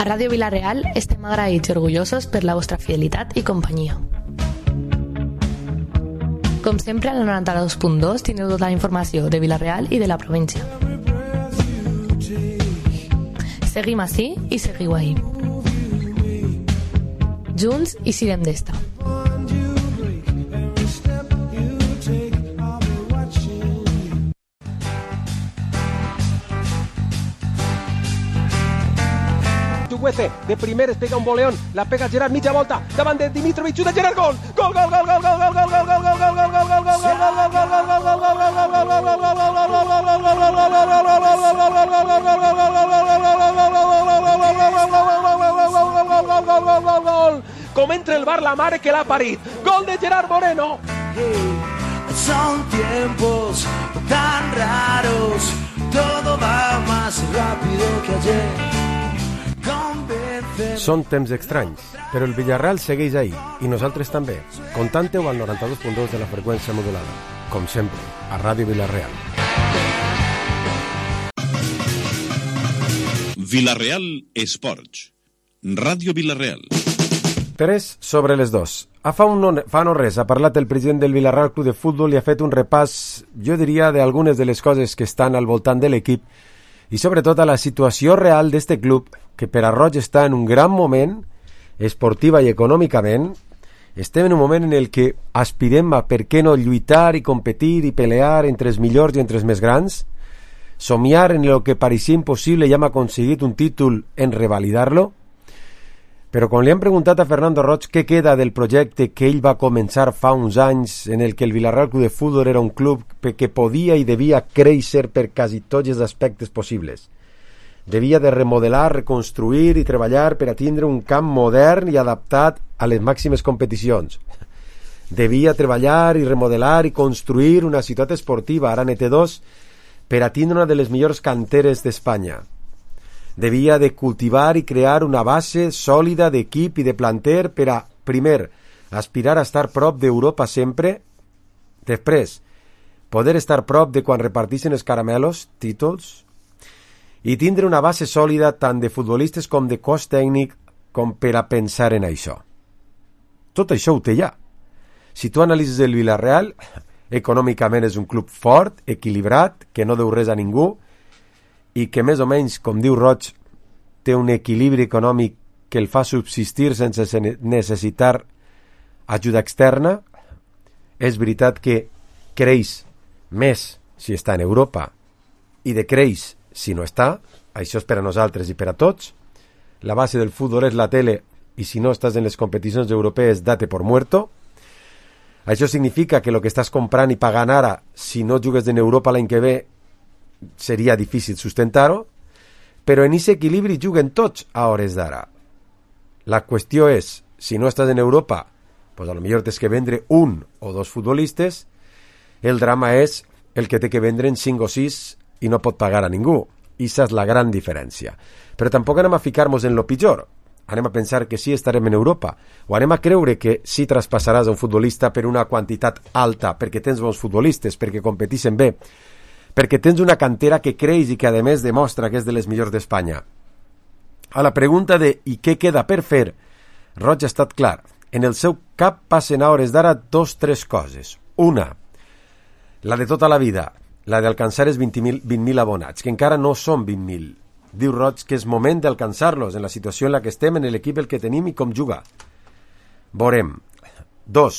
A Ràdio Vila-real estem agraïts i orgullosos per la vostra fidelitat i companyia. Com sempre, al 92.2 teniu tota la informació de Vila-real i de la província. Seguim ací i seguiu ahí. Junts i sirem d'esta. De primeres pega un voleón, la pega Gerard, mitja volta, davant de Dimitrovic, de Gerard, gol! Gol, gol, gol, gol, gol, gol, gol, gol, gol, gol, gol, gol, gol, gol, gol, com entra el bar la mare que l'ha parit. Gol de Gerard Moreno. Son tiempos tan raros, todo va más rápido que ayer. Són temps estranys, però el Villarreal segueix ahí, i nosaltres també. Contanteu al 92.2 de la freqüència modulada. Com sempre, a Ràdio Vila-real. Vila-real Esports. Ràdio Vila-real. 3 sobre les 2. Fa no res ha parlat el president del Villarreal Club de Futbol i ha fet un repàs, jo diria, d'algunes de les coses que estan al voltant de l'equip i sobretot a la situació real d'este club, que per a Roig està en un gran moment, esportiva i econòmicament. Estem en un moment en el que aspirem a, per què no, lluitar i competir i pelear entre els millors i entre els més grans, somiar en el que pareixia impossible i hem aconseguit un títol en revalidar-lo. Però quan li han preguntat a Fernando Roig què queda del projecte que ell va començar fa uns anys, en el que el Villarreal Club de Futbol era un club que podia i devia créixer per quasi tots els aspectes possibles. Devia de remodelar, reconstruir i treballar per a tindre un camp modern i adaptat a les màximes competicions. Devia treballar i remodelar i construir una ciutat esportiva, ara NT2, per a tindre una de les millors canteres d'Espanya. Devia de cultivar i crear una base sòlida d'equip i de planter per a, primer, aspirar a estar prop d'Europa sempre, després, poder estar prop de quan repartixen els caramelos, títols, i tindre una base sòlida tant de futbolistes com de cos tècnic com per a pensar en això. Tot això ho té ja. Si tu analitzes el Villarreal, econòmicament és un club fort, equilibrat, que no deu res a ningú, i que més o menys, com diu Roig, té un equilibri econòmic que el fa subsistir sense necessitar ajuda externa. És veritat que creix més si està en Europa i decreix si no està. Això és per a nosaltres i per a tots. La base del futbol és la tele i si no estàs en les competicions europees, date por muerto. Això significa que el que estàs comprant i pagant ara, si no jugues en Europa l'any que ve, seria difícil sustentar-ho, però en aquest equilibri juguen tots a hores d'ara. La qüestió és, si no estàs en Europa, pues a lo millor tens que vendre un o dos futbolistes, el drama és el que té que vendre en 5 o 6 i no pot pagar a ningú. Issa és la gran diferència. Però tampoc anem a ficar-nos en lo pitjor. Anem a pensar que sí estarem en Europa, o anem a creure que sí traspassaràs a un futbolista per una quantitat alta, perquè tens bons futbolistes, perquè competeixen bé, perquè tens una cantera que creix i que a més demostra que és de les millors d'Espanya. A la pregunta de «i què queda per fer?», Roig ha estat clar. En el seu cap passen a hores d'ara 2-3 coses. Una, la de tota la vida, la d'alcançar els 20.000 abonats, que encara no són 20.000. Diu Roig que és moment d'alcançar-los en la situació en la que estem, en l'equip el que tenim i com jugar. Veurem. 2,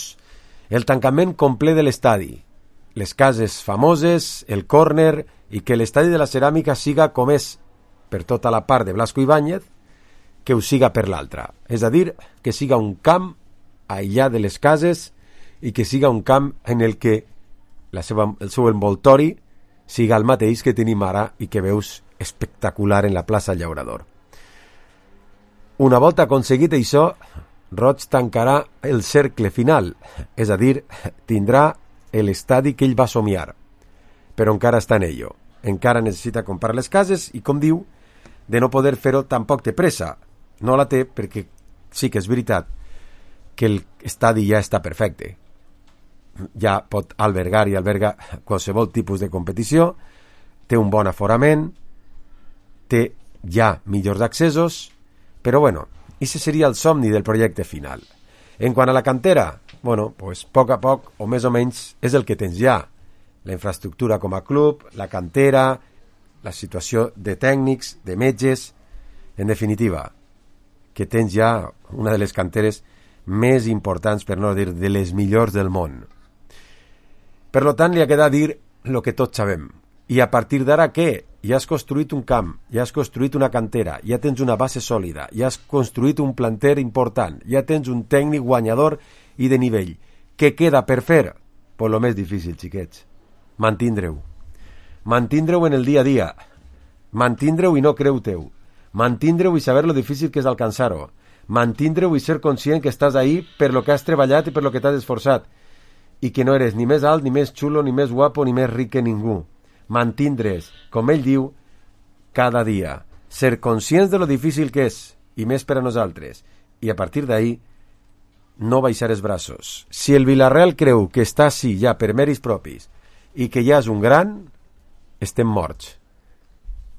el tancament complet de l'estadi. Les cases famoses, el córner i que l'estadi de la Ceràmica siga com és per tota la part de Blasco Ibáñez, que ho siga per l'altra. És a dir, que siga un camp aïllat de les cases i que siga un camp en el que el seu envoltori siga el mateix que tenim ara i que veus espectacular en la plaça Llaurador. Una volta aconseguit això, Roig tancarà el cercle final, és a dir, tindrà l'estadi que ell va somiar, però encara està en ello. Encara necessita comprar les cases i, com diu, de no poder fer-ho tampoc té pressa. No la té perquè sí que és veritat que l'estadi ja està perfecte. Ja pot albergar i alberga qualsevol tipus de competició, té un bon aforament, té ja millors accessos, Però bueno, ese seria el somni del projecte final. En quant a la cantera, bueno, pues poc a poc, o més o menys, és el que tens ja. La infraestructura com a club, la cantera, la situació de tècnics, de metges, en definitiva, que tens ja una de les canteres més importants, per no dir de les millors del món. Per tant, li ha quedat dir el que tots sabem. I a partir d'ara, què? Ja has construït un camp, ja has construït una cantera, ja tens una base sòlida, ja has construït un planter important, ja tens un tècnic guanyador i de nivell. Què queda per fer? Pues lo més difícil, xiquets. Mantindre-ho. Mantindre-ho en el dia a dia. Mantindre-ho i no creu-teu. Mantindre-ho i saber lo difícil que és alcançar-ho. Mantindre-ho i ser conscient que estàs ahí per lo que has treballat i per lo que t'has esforçat. I que no eres ni més alt, ni més xulo, ni més guapo, ni més ric que ningú. Mantindre's, com ell diu, cada dia. Ser conscients de lo difícil que és, i més per a nosaltres. I a partir d'ahí, no baixar els braços. Si el Villarreal creu que està així ja per mèrits propis i que ja és un gran, estem morts.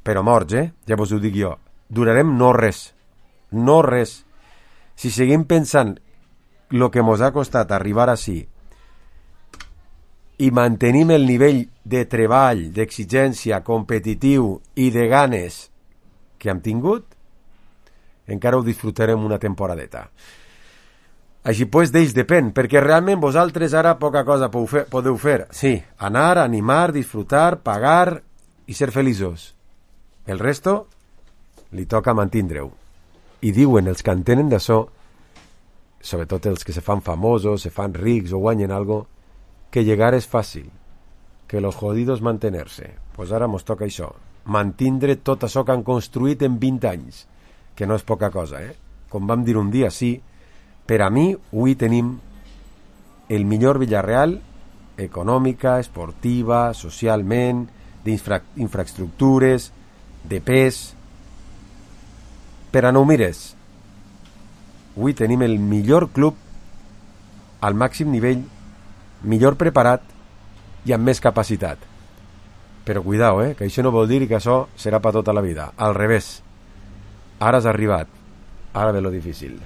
Però morts, ja vos ho dic jo. Durarem no res. No res. Si seguim pensant lo que mos ha costat arribar així i mantenim el nivell de treball, d'exigència, competitiu i de ganes que hem tingut, encara ho disfrutarem una temporadeta. Així pues, d'ells depèn, perquè realment vosaltres ara poca cosa podeu fer. Sí, anar, animar, disfrutar, pagar i ser feliços. El resto li toca mantindre-ho. I diuen els que entenen d'això, sobretot els que se fan famosos, se fan rics o guanyen algo, que llegar és fàcil, que los jodidos mantenerse. Pues ara mos toca això, mantindre tot això que han construït en 20 anys, que no és poca cosa, Com vam dir un dia, sí, per a mi, avui tenim el millor Villarreal econòmica, esportiva, socialment, d'infraestructures, de pes. Per a no ho mires, avui tenim el millor club al màxim nivell, millor preparat i amb més capacitat. Però cuidao, que això no vol dir que això serà per tota la vida. Al revés. Ara has arribat. Ara ve lo difícil.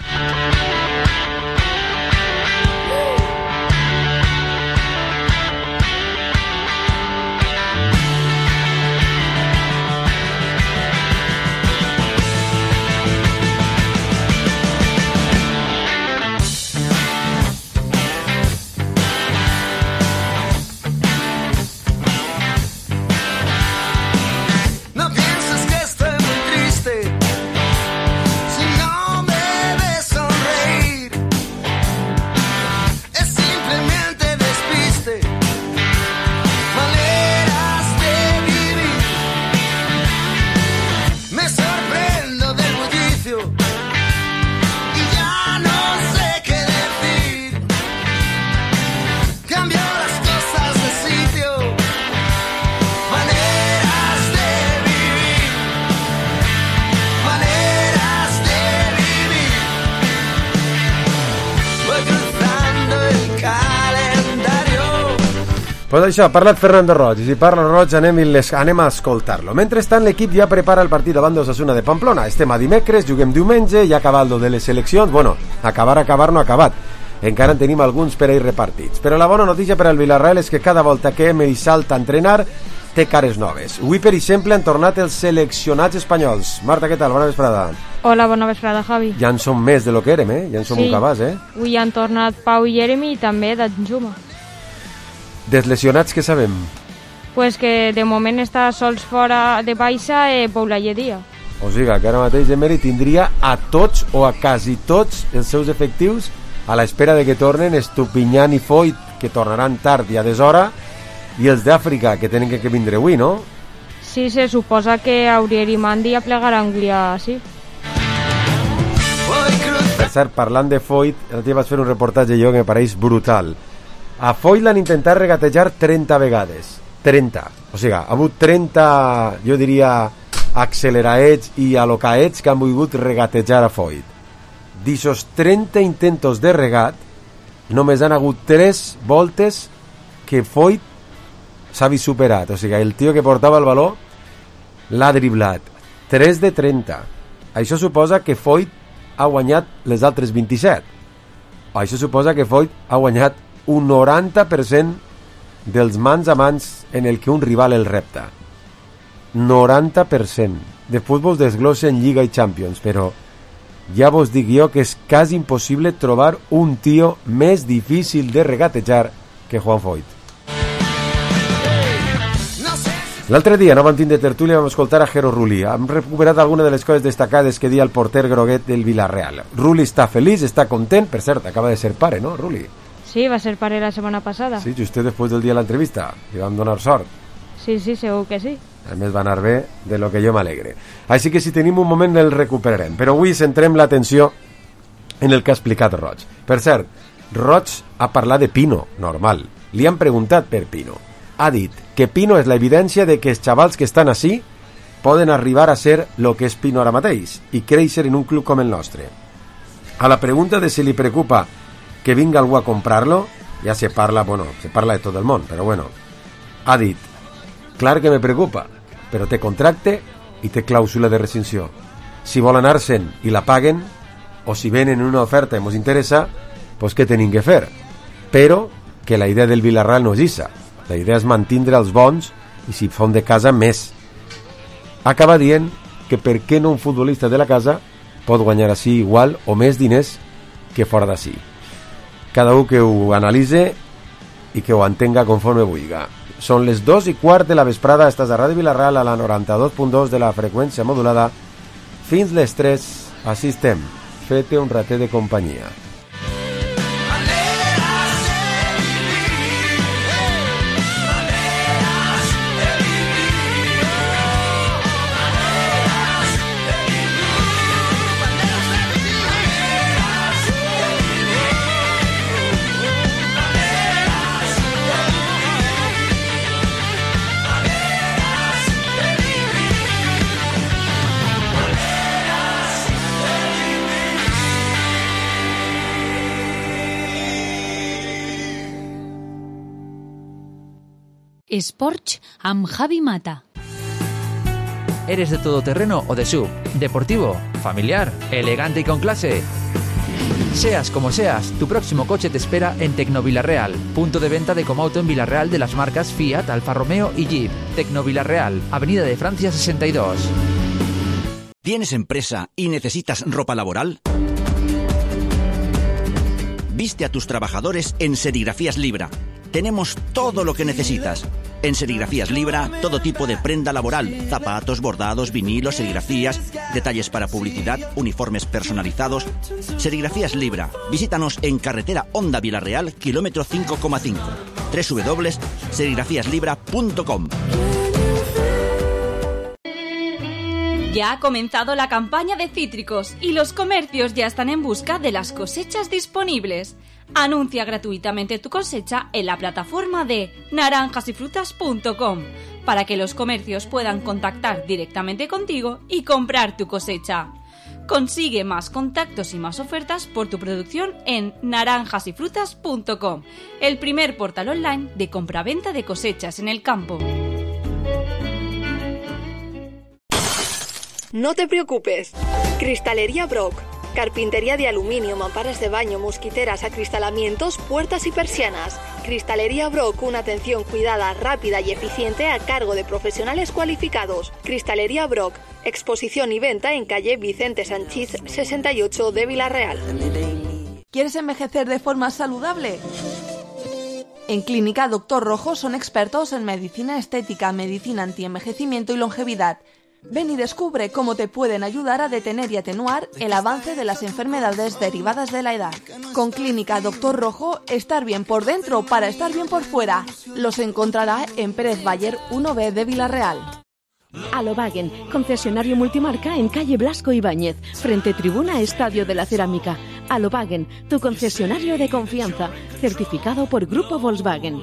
Pues això, ha parlat Fernando Roig, i si parla Roig anem a escoltar-lo. Mentrestant, l'equip ja prepara el partit davant d'Osasuna de Pamplona. Estem a dimecres, juguem diumenge, ja ha acabat lo de les seleccions. Bueno, acabar no ha acabat. Encara en tenim alguns per ahir repartits. Però la bona notícia per al Villarreal és que cada volta que hem salta a entrenar té cares noves. Avui, per exemple, han tornat els seleccionats espanyols. Marta, què tal? Bona vesprada. Hola, bona vesprada, Javi. Ja en som més de lo que érem, Ja en som un cabàs, Avui han tornat Pau i Jeremy i també Danjuma. Dels lesionats, què sabem? Pues que de moment està sols fora de baixa Paula Lledia. O sigui, que ara mateix Emery tindria a tots o a quasi tots els seus efectius a l'espera de que tornen Estupiñán i Foyt, que tornaran tard i a deshora, i els d'Àfrica, que tenen que vindre avui, no? Sí, se suposa que Aurier i Mandi aplegaran guia, sí. Per cert, parlant de Foyt, l'altre vaig fer un reportatge jo que me pareix brutal. A Foyt l'han intentat regatejar 30 vegades. 30. O sigui, ha hagut 30, jo diria, acceleraets i alocaets que han volgut regatejar a Foyt. D'ixos 30 intentos de regat, només han hagut 3 voltes que Foyt s'ha vist superat. O sigui, el tio que portava el baló l'ha driblat. 3 de 30. Això suposa que Foyt ha guanyat les altres 27. Això suposa que Foyt ha guanyat un 90% dels mans a mans en el que un rival el repta. 90% de futbol desglossa en Lliga i Champions, però ja vos dic jo que és quasi impossible trobar un tio més difícil de regatejar que Juan Foyt. L'altre dia no vam tindre tertúlia, vam escoltar a Jero Rulli. Hem recuperat alguna de les coses destacades que dia el porter groguet del Villarreal. Rulli està feliç, està content. Per cert, acaba de ser pare, ¿no, Rulli? Sí, va ser pare la setmana passada. Sí, just després del dia de l'entrevista. Li vam donar sort. Sí, segur que sí. A més va anar bé, de lo que jo m'alegre. Així que si tenim un moment el recuperarem. Però avui centrem l'atenció en el que ha explicat Roig. Per cert, Roig ha parlat de Pino, normal. Li han preguntat per Pino. Ha dit que Pino és l'evidència de que els xavals que estan així poden arribar a ser lo que és Pino ara mateix i créixer en un club com el nostre. A la pregunta de si li preocupa que vinga algú a comprar-lo, ja se parla de tot el món, però bueno, ha dit, clar que me preocupa, però té contracte i té clàusula de rescissió. Si vol anar-se'n i la paguen, o si venen una oferta i ens interessa, pues què tenim que fer? Però que la idea del Villarreal no és issa. La idea és mantindre els bons i si fon de casa més. Acaba dient que per què no un futbolista de la casa pot guanyar així igual o més diners que fora d'ací. Cada un que ho analitze i que ho entenga conforme vulga. Són les 2:15 de la vesprada, estàs a Ràdio Villarreal a la 92.2 de la freqüència modulada. Fins les 3, així estem. Fete un ratet de companyia. Sports amb Javi Mata. ¿Eres de todoterreno o de SUV? ¿Deportivo? ¿Familiar? ¿Elegante y con clase? Seas como seas, tu próximo coche te espera en Tecnovillarreal, punto de venta de Comauto en Villarreal de las marcas Fiat, Alfa Romeo y Jeep. Tecnovillarreal, Avenida de Francia 62. ¿Tienes empresa y necesitas ropa laboral? Viste a tus trabajadores en Serigrafías Libra. Tenemos todo lo que necesitas. En Serigrafías Libra, todo tipo de prenda laboral, zapatos, bordados, vinilos, serigrafías, detalles para publicidad, uniformes personalizados. Serigrafías Libra. Visítanos en carretera Honda Villarreal, kilómetro 5,5. www.serigrafíaslibra.com. Ya ha comenzado la campaña de cítricos y los comercios ya están en busca de las cosechas disponibles. Anuncia gratuitamente tu cosecha en la plataforma de naranjasyfrutas.com para que los comercios puedan contactar directamente contigo y comprar tu cosecha. Consigue más contactos y más ofertas por tu producción en naranjasyfrutas.com, el primer portal online de compraventa de cosechas en el campo. No te preocupes. Cristalería Brock. Carpintería de aluminio, mamparas de baño, mosquiteras, acristalamientos, puertas y persianas. Cristalería Brock, una atención cuidada, rápida y eficiente a cargo de profesionales cualificados. Cristalería Brock, exposición y venta en calle Vicente Sanchís 68 de Villarreal. ¿Quieres envejecer de forma saludable? En Clínica Doctor Rojo son expertos en medicina estética, medicina antienvejecimiento y longevidad. Ven y descubre cómo te pueden ayudar a detener y atenuar el avance de las enfermedades derivadas de la edad. Con Clínica Doctor Rojo, estar bien por dentro para estar bien por fuera. Los encontrará en Pérez Bayer 1B de Villarreal. Alobagen, concesionario multimarca en calle Blasco Ibáñez, frente tribuna Estadio de la Cerámica. Alobagen, tu concesionario de confianza, certificado por Grupo Volkswagen.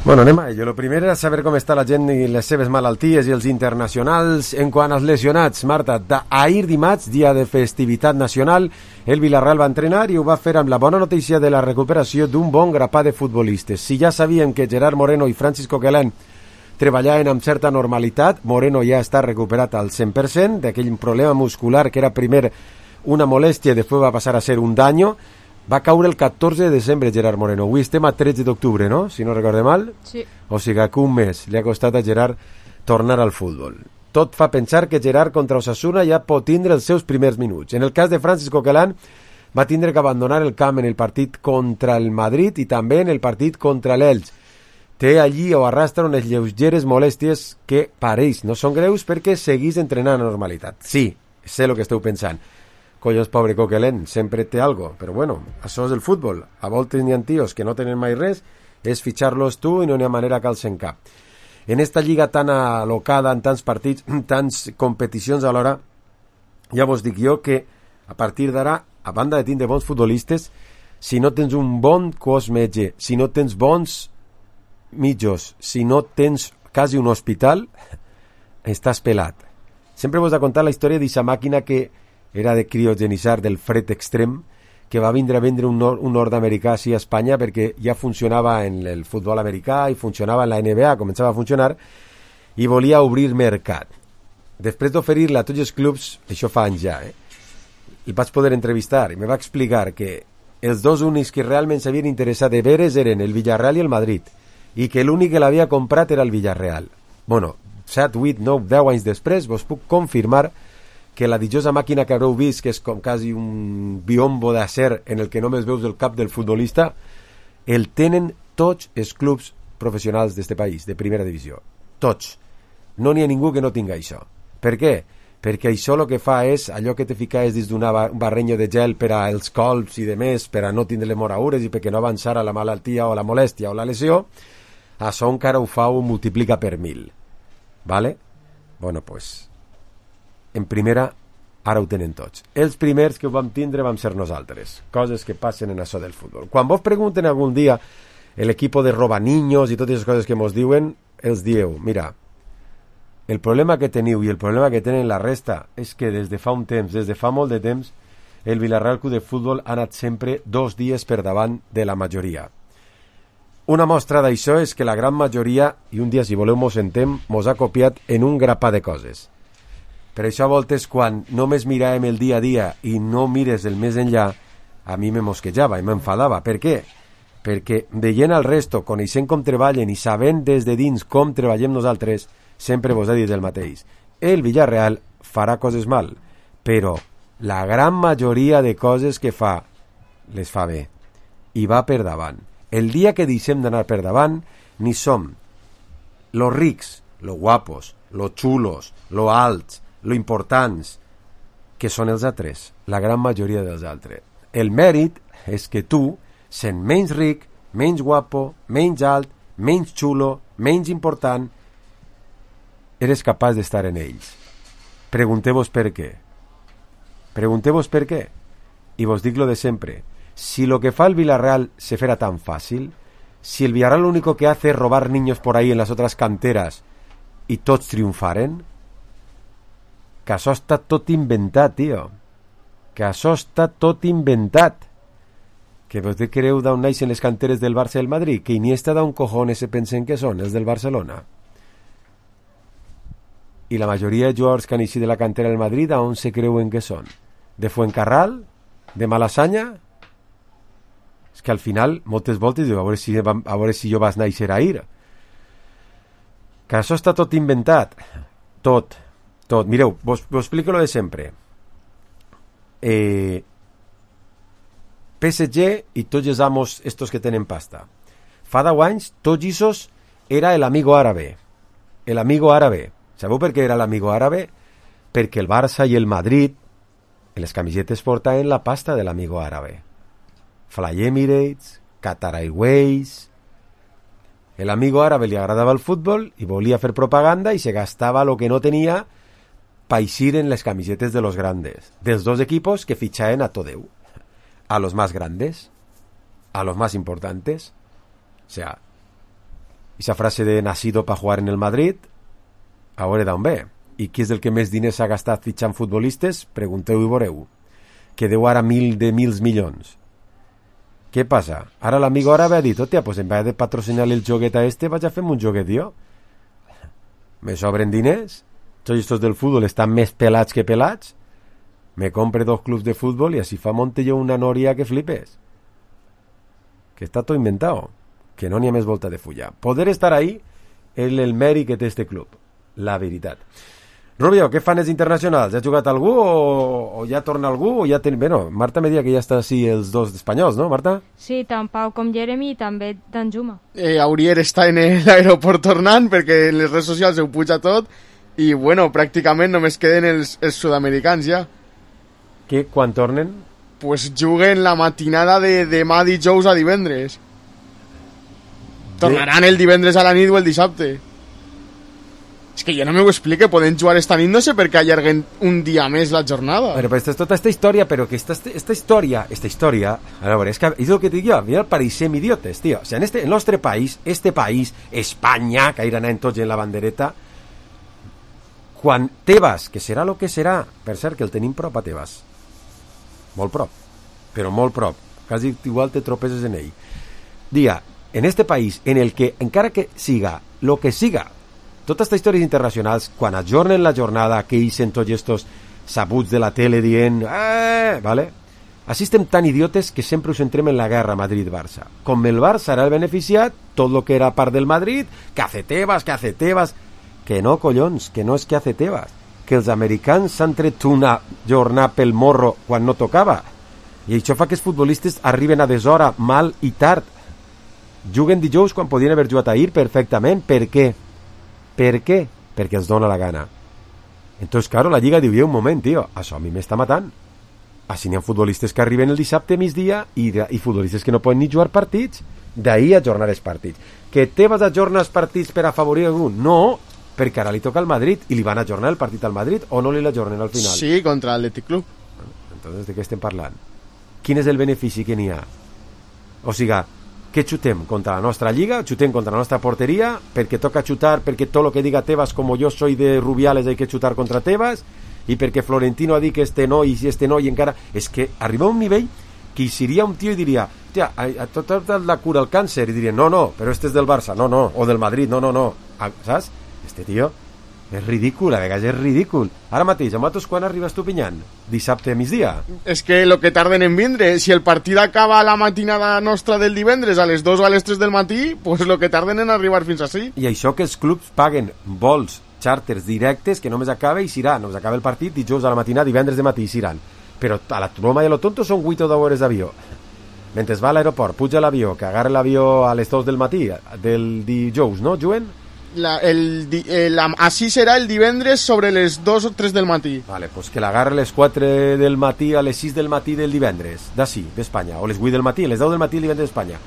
Bueno, anem a ello. Lo primer era saber com està la gent i les seves malalties i els internacionals. En quant als lesionats, Marta, ahir dimarts, dia de festivitat nacional, el Villarreal va entrenar i ho va fer amb la bona notícia de la recuperació d'un bon grapat de futbolistes. Si ja sabíem que Gerard Moreno i Francis Coquelin treballaven amb certa normalitat. Moreno ja està recuperat al 100% d'aquell problema muscular que era primer una molèstia i després va passar a ser un daño. Va caure el 14 de desembre Gerard Moreno. Avui estem a 13 d'octubre, no? Si no recorde mal. Sí. O sigui que un mes li ha costat a Gerard tornar al futbol. Tot fa pensar que Gerard contra Osasuna ja pot tindre els seus primers minuts. En el cas de Francis Coquelin, va tindre que abandonar el camp en el partit contra el Madrid i també en el partit contra l'Elx. Té allí o arrastra unes lleugeres molèsties que pareix no són greus perquè seguís entrenant a normalitat. Sí, sé el que esteu pensant. Collons, pobre Coquelin, sempre té algo. Però bueno, això és el futbol. A voltes n'hi ha tios que no tenen mai res, és fitxar-los tu i no n'hi ha manera que alcen cap. En esta lliga tan alocada, en tants partits, tants competicions alhora, ja vos dic jo que a partir d'ara, a banda de tindre bons futbolistes, si no tens un bon cos metge, si no tens bons mitjos, si no tens quasi un hospital, estàs pelat. Sempre vos he contat la història d'aquesta màquina que era de criogenitzar del fred extrem, que va vindre a vendre un nord-americà així a Espanya perquè ja funcionava en el futbol americà i funcionava en la NBA, començava a funcionar, i volia obrir mercat. Després d'oferir-la a tots els clubs, això fa anys ja, el vaig poder entrevistar i me va explicar que els dos únics que realment s'havien interessat de veres eren el Villarreal i el Madrid, i que l'únic que l'havia comprat era el Villarreal. Bueno, 7, 8, 9, 10 anys després vos puc confirmar que la dichosa màquina que haureu vist, que és com quasi un biombo d'acer en el que només veus el cap del futbolista, el tenen tots els clubs professionals d'este país, de primera divisió. Tots. No n'hi ha ningú que no tinga això. Per què? Perquè això el que fa és allò que te ficaves dins d'un barrenyo de gel per als colps i de més, per a no tindre les moraures i perquè no avançara la malaltia o la molèstia o la lesió, això encara ho fa, ho multiplica per 1000. Vale? Bueno, pues en primera, ara ho tenen tots. Els primers que ho vam tindre vam ser nosaltres. Coses que passen en això del futbol. Quan vos pregunten algun dia l'equip de robaniños i totes les coses que mos diuen, els dieu, mira, el problema que teniu i el problema que tenen la resta és que des de fa un temps, des de fa molt de temps, el Villarreal Club de Futbol ha anat sempre 2 dies per davant de la majoria. Una mostra d'això és que la gran majoria, i un dia si voleu mos sentem, mos ha copiat en un grapà de coses. Per això a voltes quan només miràvem el dia a dia i no mires el més enllà, a mi me mosquejava i m'enfadava. Per què? Perquè veient al resto, coneixent com treballen i sabent des de dins com treballem nosaltres, sempre vos he dit el mateix. El Villarreal farà coses mal, però la gran majoria de coses que fa, les fa bé. I va per davant. El dia que deixem d'anar per davant, ni som los rics, los guapos, los xulos, los alts, lo importants, que són els altres, la gran majoria dels altres. El mèrit és que tu, sent menys ric, menys guapo, menys alt, menys xulo, menys important, eres capaç d'estar en ells. Pregunteu-vos per què. Pregunteu-vos per què. I vos dic lo de sempre. Si lo que fa el Villarreal se fuera tan fácil, si el Villarreal lo único que hace es robar niños por ahí en las otras canteras y tots triomfaren, que això està tot inventat, tio. Que això està tot inventat. Que vos creu d'on naixen les canteres del Barça i el Madrid? Que Iniesta d'on cojones se pensen que són els del Barcelona? I la majoria de jugadors que han eixit de la cantera del Madrid, d'on se creuen que són? De Fuencarral? De Malasaña? És que al final, moltes voltes, diu, a veure si jo vas néixer a ir. Que això està tot inventat. Tot. Mireu, vos explico lo de sempre. PSG i tots els amos estos que tenen pasta. Fa 10 anys, tots isos era el amigo árabe. El amigo árabe. Sabeu per què era l'amigo árabe? Perquè el Barça i el Madrid en les camisetes portaven la pasta de l'amigo árabe. Fly Emirates, Qatar Airways. El amigo árabe li agradava el futbol i volia fer propaganda i se gastava lo que no tenia para eixir en les camisetes de los grandes, dels dos equipos que fichaen a Todeu, a los más grandes, a los más importantes. O sea, esa frase de nacido para jugar en el Madrid, a veure d'on ve. I qui és el que més diners ha gastat fitxant futbolistes? Pregunteu i veureu. Que deu ara mils milions. Què passa? Ara l'amigo àrabe ha dit, hòstia, pues en vez de patrocinar el joguet a este, vaig a fer un joguet jo. me sobren diners, tots estos del fútbol estan més pelats que pelats, me compre 2 clubs de fútbol y así fa monte yo una noria que flipes. Que está todo inventado, que no n'hi ha més volta de fulla. Poder estar ahí és el mèrit que té este club, la veritat. Rubio, què fan els internacionals? Ja ha jugat algú o ja torna algú? O ja bueno, Marta me deia que ja està així els 2 espanyols, no, Marta? Sí, tant Pau com Jeremy i també Danjuma. Aurier està en l'aeroport tornant perquè en les redes socials ho puja tot i, bueno, pràcticament només queden els sud-americans ja. Que quan tornen? Pues juguen la matinada de demà dijous a divendres. Tornaran el divendres a la nit o el dissabte. És que jo no m'ho explique, poden jugar esta nit, no sé per què allarguen un dia més la jornada. Però és tota esta història, però que esta història, a veure, és que és el que et dic jo, mira, pareixem idiotes, tio. O sigui, en el nostre país, Espanya, que iran anant tots en la bandereta, quan Tebas, que serà el que serà, per cert, que el tenim prop a Tebas, molt prop, però molt prop, quasi igual te tropeses en ell, diga, en este país, en el que, encara que siga, lo que siga, totes aquestes històries internacionals, quan ajornen la jornada, que ixen tots estos sabuts de la tele dient, vale? Així estem tan idiotes que sempre us centrem en la guerra Madrid-Barça. Com el Barça era el beneficiat, tot el que era part del Madrid, que hace Tebas, que no, collons, que no és que hace Tebas, que els americans s'han tret una jornada pel morro quan no tocava, i això fa que els futbolistes arriben a deshora, mal i tard. Juguen dijous quan podien haver jugat ahir perfectament. Per què? Per què? Perquè els dona la gana. Entonces, claro, la Lliga diu, un moment, tio, això a mi m'està matant. Així n'hi ha futbolistes que arriben el dissabte migdia i futbolistes que no poden ni jugar partits. D'ahir ajornar els partits. Que Tebas ajorna els partits per afavorir algú? No, perquè ara li toca al Madrid i li van ajornar el partit al Madrid o no li l'ajornen al final? Sí, contra l'Athletic Club. Entonces, de què estem parlant? Quin és el benefici que n'hi ha? O sigui, que xutem contra la nostra lliga, xutem contra la nostra porteria, perquè toca xutar, perquè tot el que diga Tebas, com jo soy de Rubiales, hay que xutar contra Tebas, i perquè Florentino ha dit que este no, i si este no, i encara... És que arriba a un nivell que hi seria un tio i diria, tia, a tot la cura al càncer, i diria, no, però este és del Barça, no, o del Madrid, no. Saps? Este tio és ridícul, a vegades és ridícul. Ara mateix, a nosaltres quan arribes tu pinyant? Dissabte a migdia? És que lo que tarden en vindre, si el partit acaba a la matinada nostra del divendres a les 2 o a les 3 del matí, pues lo que tarden en arribar fins així. I això que els clubs paguen vols, xàrters directes, que només acaba i s'irà, només acaba el partit dijous a la matinada, divendres de matí i s'iran. Però a la broma i a lo tonto són 8 o 10 hores d'avió. Mentre va a l'aeroport, puja l'avió, que agarra l'avió a les 2 del matí, del dijous, no, Juen? Així serà el divendres sobre les 2 o 3 del matí. Vale, pues que l'agarra a les 4 del matí a les 6 del matí del divendres, d'ací, d'Espanya, o les 8 del matí, les 10 del matí del divendres d'Espanya.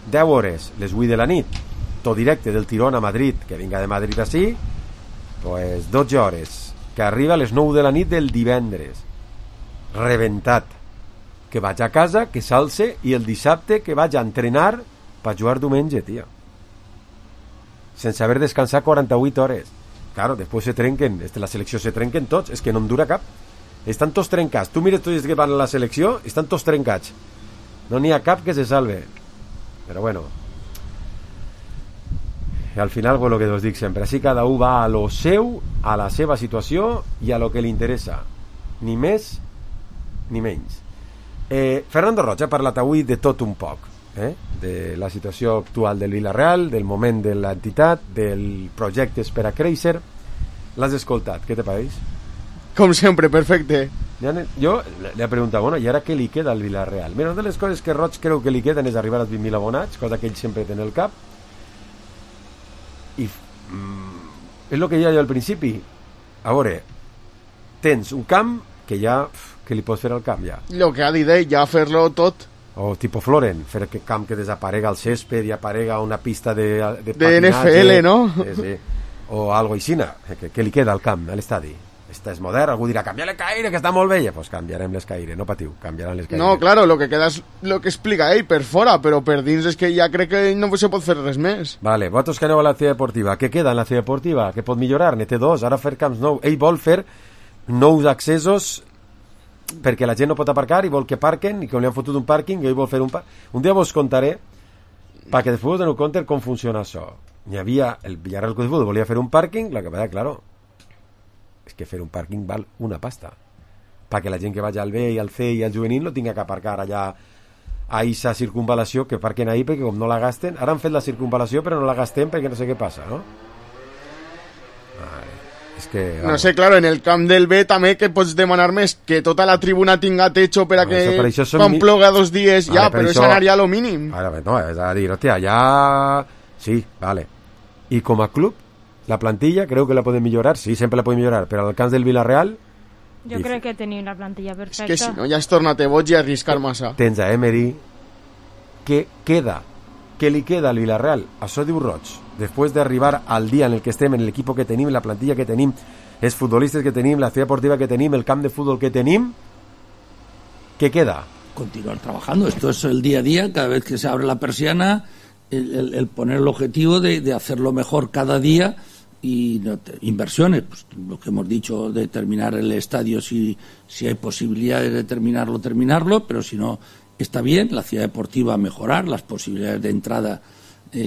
10 hores, les 8 de la nit, tot directe del tirón a Madrid, que vinga de Madrid així, pues 12 hores, que arriba a les 9 de la nit del divendres. Reventat. Que vaig a casa, que s'alce, i el dissabte que vaig a entrenar per jugar diumenge, tio. Sense haver descansat 48 hores. Claro, després se trenquen, la selecció se trenquen tots, és que no en dura cap. Estan tots trencats. Tu mires tots que van a la selecció, estan tots trencats. No n'hi ha cap que se salve. Però bueno. I al final, pues, lo que us dic sempre, així cada un va a lo seu, a la seva situació i a lo que li interessa. Ni més ni menys. Fernando Roig ha parlat avui de tot un poc. De la situació actual del Villarreal, del moment de l'entitat, del projecte per a créixer. L'has escoltat, què te pareix? Com sempre, perfecte. Jo li he preguntat, bueno, i ara què li queda al Villarreal? Mira, una de les coses que Roig creu que li queden és arribar als 20.000 abonats, cosa que ell sempre té en el cap, i és el que deia jo al principi. A veure, tens un camp que ja, que li pots fer al camp ja. Lo que ha dit ell, ja fer-lo tot. O tipo Floren, fer que camp que desaparega el césped i aparega una pista de NFL, no? Sí. O algo aixina, que li queda al camp, a l'estadi. Este és modern, algú dirà, canvia l'escaire, que està molt vella. Pues canviarem l'escaire, no patiu, canviaran l'escaire. No, claro, lo que queda és lo que explica ell per fora, però per dins és que ja crec que no se pot fer res més. Vale, vosaltres que aneu a la ciutat deportiva, què queda en la ciutat deportiva? Què pot millorar? Ne té 2, ara fer camps nous. Ell vol fer nous accessos perquè la gent no pot aparcar i vol que parquen i que li han fotut un pàrquing i ell vol fer un dia vos contaré perquè després us doneu compte com funciona això. hi havia el Villarreal Club de Fútbol volia fer un pàrquing, la que passa, claro, és que fer un pàrquing val una pasta perquè la gent que vagi al B i al C i al juvenil no tinga que aparcar allà a aquesta circunvalació, que parquen ahí perquè com no la gasten, ara han fet la circunvalació però no la gastem perquè no sé què passa, no? És que, no sé, claro, en el camp del B també que pots demanar més, que tota la tribuna tinga techo per a que quan ploga 2 dies ja, però això anaria a lo mínim. Ara, no, és a dir, hòstia, ja... Sí, vale. I com a club, la plantilla, creu que la podem millorar? Sí, sempre la podem millorar, però al camp del Villarreal... Jo crec que tenim la plantilla perfecta. És que si no, ja has tornat boig i arriscar massa. Tens a Emery. Què queda? Què li queda al Villarreal? Això diu Roig. Després d'arribar al dia en el que estem, en l'equip que tenim, la plantilla que tenim, els futbolistes que tenim, la ciudad deportiva que tenim, el camp de fútbol que tenim, ¿qué queda? Continuar trabajando. Esto es el día a día. Cada vez que se abre la persiana, el poner el objetivo de hacerlo mejor cada día. Y inversiones, pues lo que hemos dicho de terminar el estadio, si hay posibilidades de terminarlo, pero si no, está bien. La ciudad deportiva mejorar, las posibilidades de entrada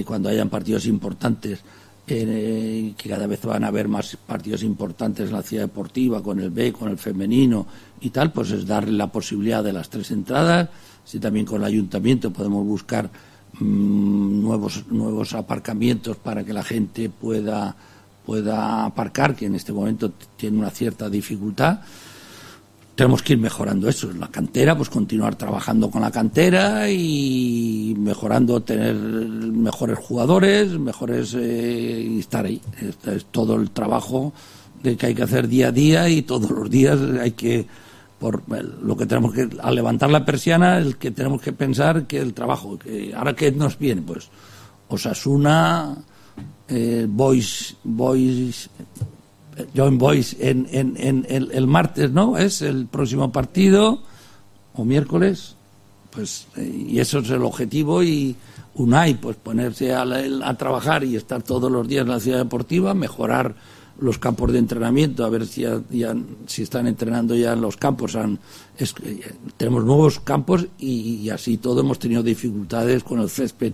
cuando hayan partidos importantes, que cada vez van a haber más partidos importantes en la ciudad deportiva, con el B, con el femenino y tal, pues es darle la posibilidad de las 3 entradas. Si también con el ayuntamiento podemos buscar nuevos aparcamientos para que la gente pueda aparcar, que en este momento tiene una cierta dificultad. Tenemos que ir mejorando eso. En la cantera, pues continuar trabajando con la cantera y mejorando, tener mejores jugadores, y estar ahí. Este es todo el trabajo que hay que hacer día a día, y todos los días hay que, lo que tenemos que, al levantar la persiana, el que tenemos que pensar que el trabajo, que ahora que nos viene, pues Osasuna, Joint Boys en el martes, ¿no? Es el próximo partido, o miércoles, pues, y eso es el objetivo. Y Unai, pues ponerse a trabajar y estar todos los días en la ciudad deportiva, mejorar los campos de entrenamiento, a ver si están entrenando ya en los campos. Tenemos nuevos campos y así todo. Hemos tenido dificultades con el césped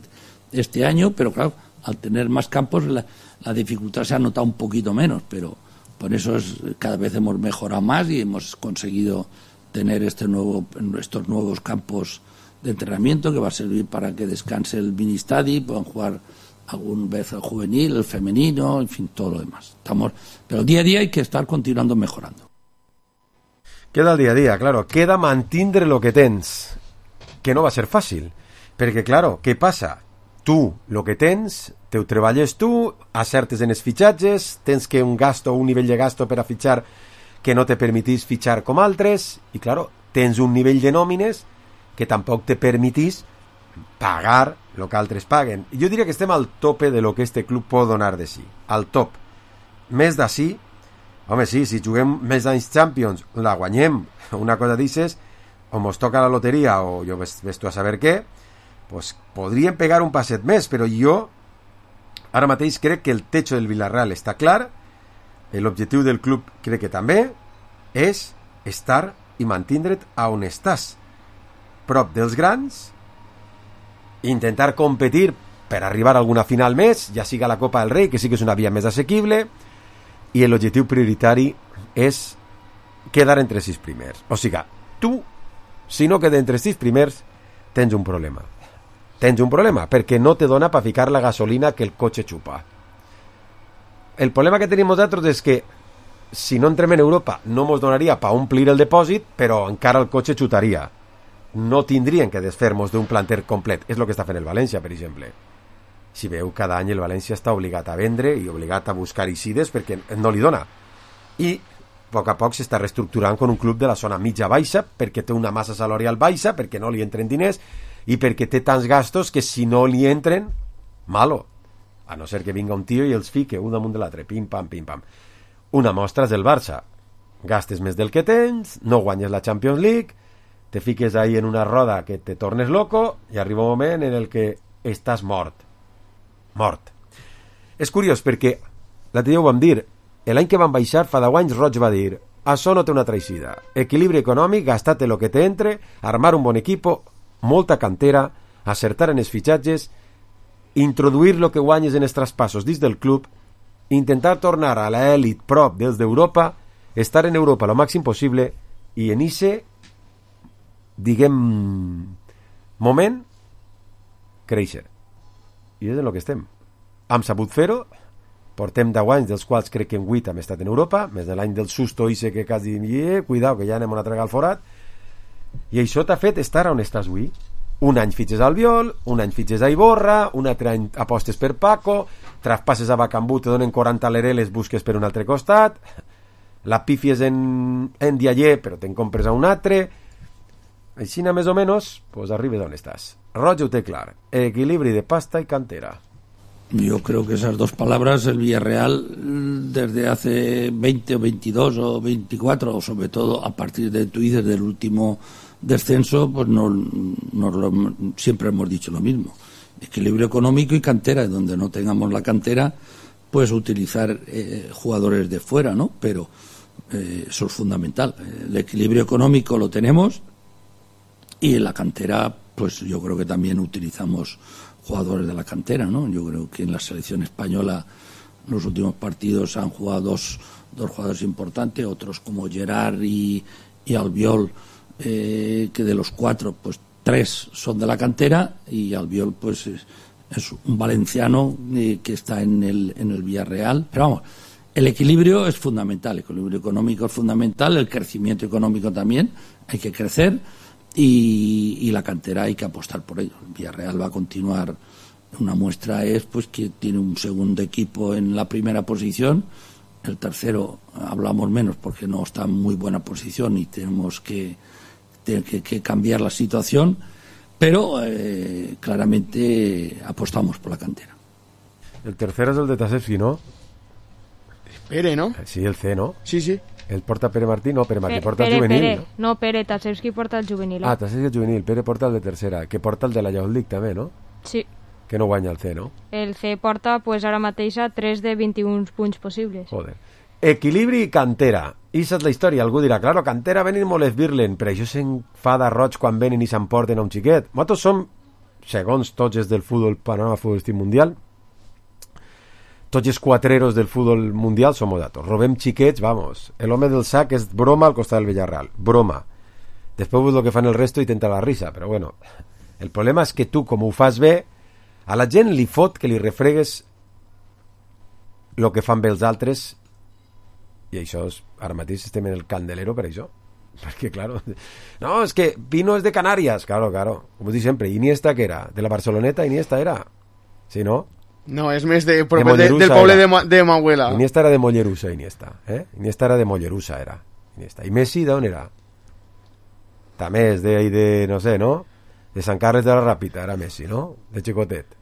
este año, pero claro, al tener más campos la dificultad se ha notado un poquito menos, pero por eso cada vez hemos mejorado más y hemos conseguido tener estos nuevos campos de entrenamiento, que va a servir para que descanse el mini-stadi, puedan jugar alguna vez el juvenil, el femenino, en fin, todo lo demás. Pero día a día hay que estar continuando mejorando. Queda el día a día, claro, queda mantindre lo que tens, que no va a ser fàcil, perquè, claro, què passa? Tu, lo que tens, te ho treballes tu, acertes en els fitxatges, tens que un nivell de gasto per a fitxar que no te permitís fitxar com altres, i, claro, tens un nivell de nòmines que tampoc te permitís pagar el que altres paguen. Jo diria que estem al tope de lo que este club pot donar de si. Al top. Més d'ací, home, sí, si juguem més d'anys Champions, la guanyem, una cosa dices, o mos toca la loteria, o jo ves tu a saber què, pues podríem pegar un passet més, però jo ara mateix crec que el techo del Villarreal està clar, l'objectiu del club crec que també és estar i mantindre't a on estàs, prop dels grans, intentar competir per arribar a alguna final més, ja siga la Copa del Rei, que sí que és una via més assequible, i l'objectiu prioritari és quedar entre 6 primers. O sigui, tu, si no quedes entre 6 primers, tens un problema. Tens un problema, perquè no te dona per ficar la gasolina que el cotxe xupa. El problema que tenim nosaltres és que si no entrem en Europa no mos donaria per omplir el depòsit, però encara el cotxe xutaria. No tindrien que desfer-nos d'un planter complet. És el que està fent el València, per exemple. Si veu, cada any el València està obligat a vendre i obligat a buscar eixides perquè no li dona. I a poc s'està reestructurant con un club de la zona mitja-baixa perquè té una massa salarial baixa, perquè no li entren diners i perquè té tants gastos que si no li entren, malo. A no ser que vinga un tio i els fique un damunt de l'altre, pim-pam, pim-pam. Una mostra és el Barça. Gastes més del que tens, no guanyes la Champions League, te fiques ahí en una roda que te tornes loco i arriba un moment en el que estàs mort. Mort. És curiós perquè l'altre dia ho vam dir, l'any que van baixar fa 10 anys Roig va dir, això no té una traïcida, equilibri econòmic, gastate lo que te entre, armar un bon equipo, molta cantera, acertar en els fitxatges introduir el que guanyes en els traspassos dins del club, intentar tornar a l'elit prop dels d'Europa, estar en Europa lo màxim possible i en ese, diguem, moment, créixer. I és en el que estem. Hem sabut fer-ho, portem 10 anys, dels quals crec que en 8 hem estat en Europa, més de l'any del susto ise que quasi cuidao, que ja anem a tregar al forat, i això t'ha fet estar on estàs avui. Un any fitxes al Albiol, un any fitxes a Iborra, un altre any apostes per Paco, traspasses a Bacambú, te donen 40 lereles, busques per un altre costat, la pifies en Dialler, però te'n compres a un altre. Així, més o menys, pues arribes on estàs. Roger ho té clar. Equilibri de pasta y cantera. Yo creo que esas dos palabras el Villarreal desde hace 20 o 22 o 24, o sobre todo a partir de Twitter del último descenso, pues siempre hemos dicho lo mismo. Equilibrio económico y cantera. Donde no tengamos la cantera, pues utilizar jugadores de fuera, ¿no? Pero eso es fundamental. El equilibrio económico lo tenemos y en la cantera, pues yo creo que también utilizamos jugadores de la cantera, ¿no? Yo creo que en la selección española en los últimos partidos han jugado dos jugadores importantes, otros como Gerard y Albiol, que de los 4, pues 3 son de la cantera, y Albiol pues es un valenciano que está en el Villarreal. Pero vamos, el equilibrio es fundamental, el equilibrio económico es fundamental, el crecimiento económico también, hay que crecer. Y la cantera hay que apostar por ello. El Villarreal va a continuar. Una muestra es pues que tiene un segundo equipo en la primera posición. El tercero hablamos menos porque no está en muy buena posición y tenemos que cambiar la situación, pero claramente apostamos por la cantera. El tercero es el de Tasevski, ¿no? Pere, ¿no? Sí, el C, ¿no? Sí, sí. El porta Pere Martí, no, Pere Martí porta el juvenil. Pere. No, Pere, Tasevski porta el juvenil. Ah, Tasevski el juvenil, Pere porta el de tercera, que porta el de la Youth League també, no? Sí. Que no guanya el C, no? El C porta, pues ara mateix a 3 de 21 punts possibles. Joder. Equilibri i cantera. Issa és la història. Algú dirà, claro, cantera venen molt esbirlen, però això s'enfada roig quan venen i s'emporten a un xiquet. Nosaltres som, segons tots els del futbol, panorama futbolístic mundial, tots els quatreros del futbol mundial som datos. Robem xiquets, vamos. L'home del sac és broma al costat del Villarreal. Broma. Després el que fan el resto i tenta la risa, però bueno. El problema és que tu, com ho fas bé, a la gent li fot que li refregues el que fan bé els altres, i això és, ara mateix estem en el candelero per això. Perquè, claro, no, és que Pino és de Canàries. Claro, com us dic sempre, Iniesta que era? De la Barceloneta, Iniesta era? Sí, no? No, és més del poble de Mahuela. Iniesta era de Mollerussa, Iniesta. Iniesta era de Mollerussa, era. Iniesta. I Messi d'on era? També és de, no sé, no? De Sant Carles de la Ràpita, era Messi, no? De xicotet.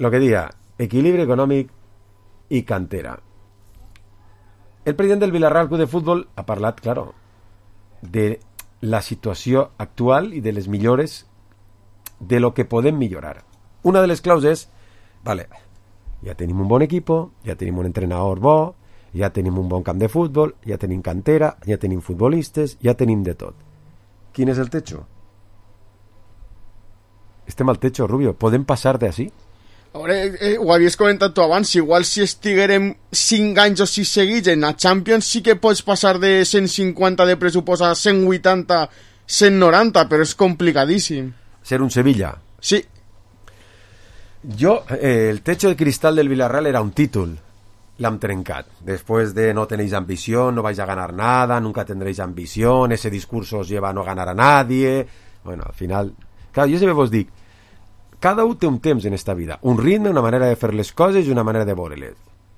Lo que diga, equilibri econòmic i cantera. El president del Villarreal Club de Futbol ha parlat, claro, de la situació actual i de les millores, de lo que podem millorar. Una de les claus és, vale, ja tenim un bon equipo, ja tenim un entrenador bo, ja tenim un bon camp de futbol, ja tenim cantera, ja tenim futbolistes, ja tenim de tot. Quin és el techo? Estem al techo, Rubio. Podem passar de així? Ara, ho havies comentat tu abans, igual si estiguérem 5 anys o 6 seguits en la Champions sí que pots passar de 150 de pressupost a 180, 190, però és complicadíssim. Ser un Sevilla. Sí. Jo, el techo de cristal del Villarreal era un títol. L'hem trencat. Después de no tenéis ambición, no vais a ganar nada, nunca tendréis ambición, ese discurso os lleva a no ganar a nadie. Bueno, al final... Claro, jo sempre vos dic, cada un té un temps en esta vida, un ritme, una manera de fer les coses i una manera de veure-les.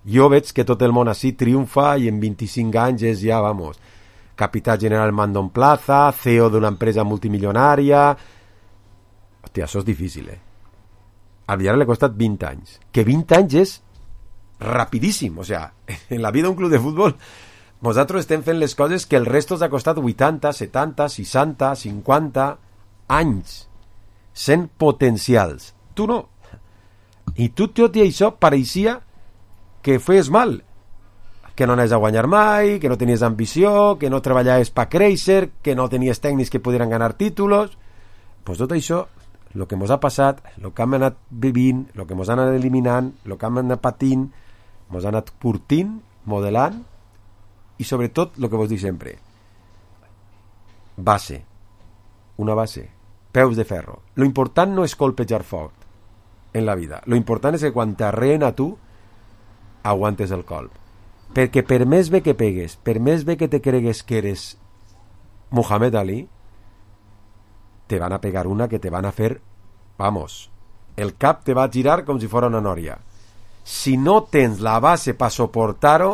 Jo veig que tot el món així triomfa i en 25 anys és ja, vamos, capità general Mandon Plaza, CEO d'una empresa multimilionària... Hòstia, això és difícil, Al Villarreal le ha costat 20 anys. Que 20 anys és rapidíssim, o sea, en la vida d'un club de futbol nosaltres estem fent les coses que el resto ens ha costat 80, 70, 60, 50 anys, sent potencials. Tu no. I tu, tot i això, pareixia que feies mal, que no anaves a guanyar mai, que no tenies ambició, que no treballaves per créixer, que no tenies tècnics que pudieran ganar títulos. pues tot això, el que ens ha passat, el que hem anat vivint, el que ens han anat eliminant, el que hem anat patint, ens ha anat curtint, modelant, i sobretot el que vos dic sempre, base, una base, peus de ferro. Lo important no és colpejar fort en la vida, lo important és que quan t'arreen a tu aguantes el colp, perquè per més bé que pegues, per més bé que te cregues que eres Muhammad Ali, te van a pegar una que te van a fer, vamos, el cap te va a girar com si fora una nòria. Si no tens la base per soportar-ho,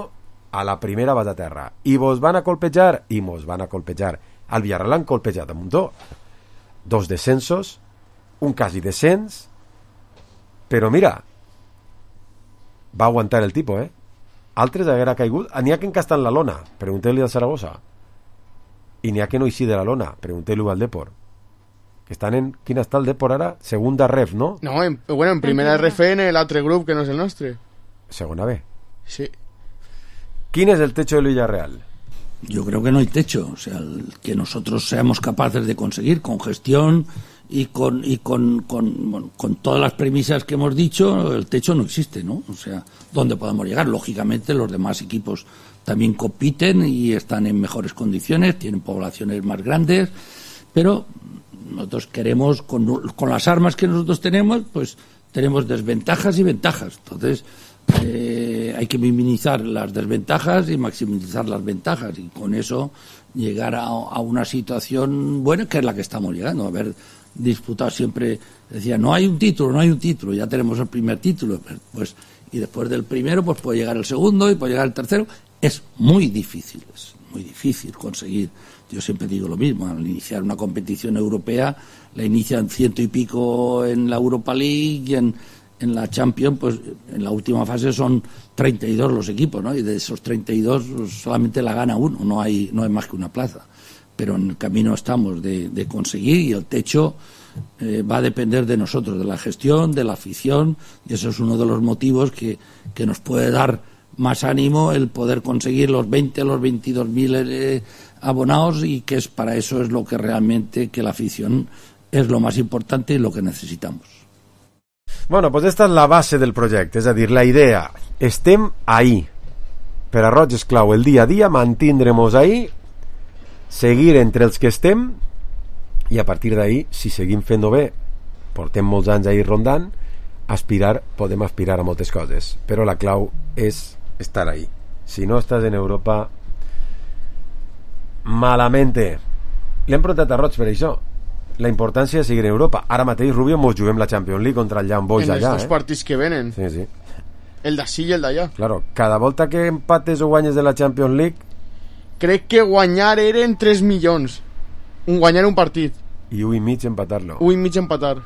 a la primera vas a terra. I vos van a colpejar, i mos van a colpejar. Al Villarreal han colpejat a muntó. 2 descensos, un quasi descens, però mira, va aguantar el tipo, Altres haguera caigut, n'hi ha que encasten la lona, pregunteu-li al Saragossa, i n'hi ha que no eixir de la lona, pregunteu-li al Depor, que estan en... Quina està el Depor ara? Segunda ref, ¿no? No, en primera RFN, l'altre grup que no és el nostre. Segona B. Sí. ¿Quién es el techo del Villarreal? Yo creo que no hay techo, o sea, que nosotros seamos capaces de conseguir con gestión y con todas las premisas que hemos dicho, el techo no existe, ¿no? O sea, ¿dónde podemos llegar? Lógicamente los demás equipos también compiten y están en mejores condiciones, tienen poblaciones más grandes, pero nosotros queremos, con las armas que nosotros tenemos, pues tenemos desventajas y ventajas. Entonces, hay que minimizar las desventajas y maximizar las ventajas, y con eso llegar a una situación buena, que es la que estamos llegando. Haber disputado siempre, decía, no hay un título, ya tenemos el primer título, pues, y después del primero pues puede llegar el segundo y puede llegar el tercero. Es muy difícil conseguir. Yo siempre digo lo mismo, al iniciar una competición europea la inician 100 y pico en la Europa League, y en la Champions, pues en la última fase son 32 los equipos, ¿no? Y de esos 32 pues, solamente la gana uno, no hay más que una plaza. Pero en el camino estamos de conseguir, y el techo va a depender de nosotros, de la gestión, de la afición, y eso es uno de los motivos que nos puede dar más ánimo el poder conseguir los 22.000 abonados, y que es para eso es lo que realmente, que la afición es lo más importante y lo que necesitamos. Bueno, pues esta és la base del projecte, és a dir, la idea. Estem ahí. Per a Roig és clau el dia a dia, mantindrem-nos ahí, seguir entre els que estem, i a partir d'ahí, si seguim fent-ho bé, portem molts anys ahí rondant, podem aspirar a moltes coses, però la clau és estar ahí. Si no estàs en Europa, malamente. L'hem preguntat a Roig per això, la importància de seguir en Europa. Ara mateix, Rubio, mos juguem la Champions League contra el Young Boys allà. En els dos partits que venen. Sí. El d'ací i el d'allà. Claro, cada volta que empates o guanyes de la Champions League... Crec que guanyar eren 3 milions. Guanyar un partit. I 1,5 empatar-lo. 1,5 empatar.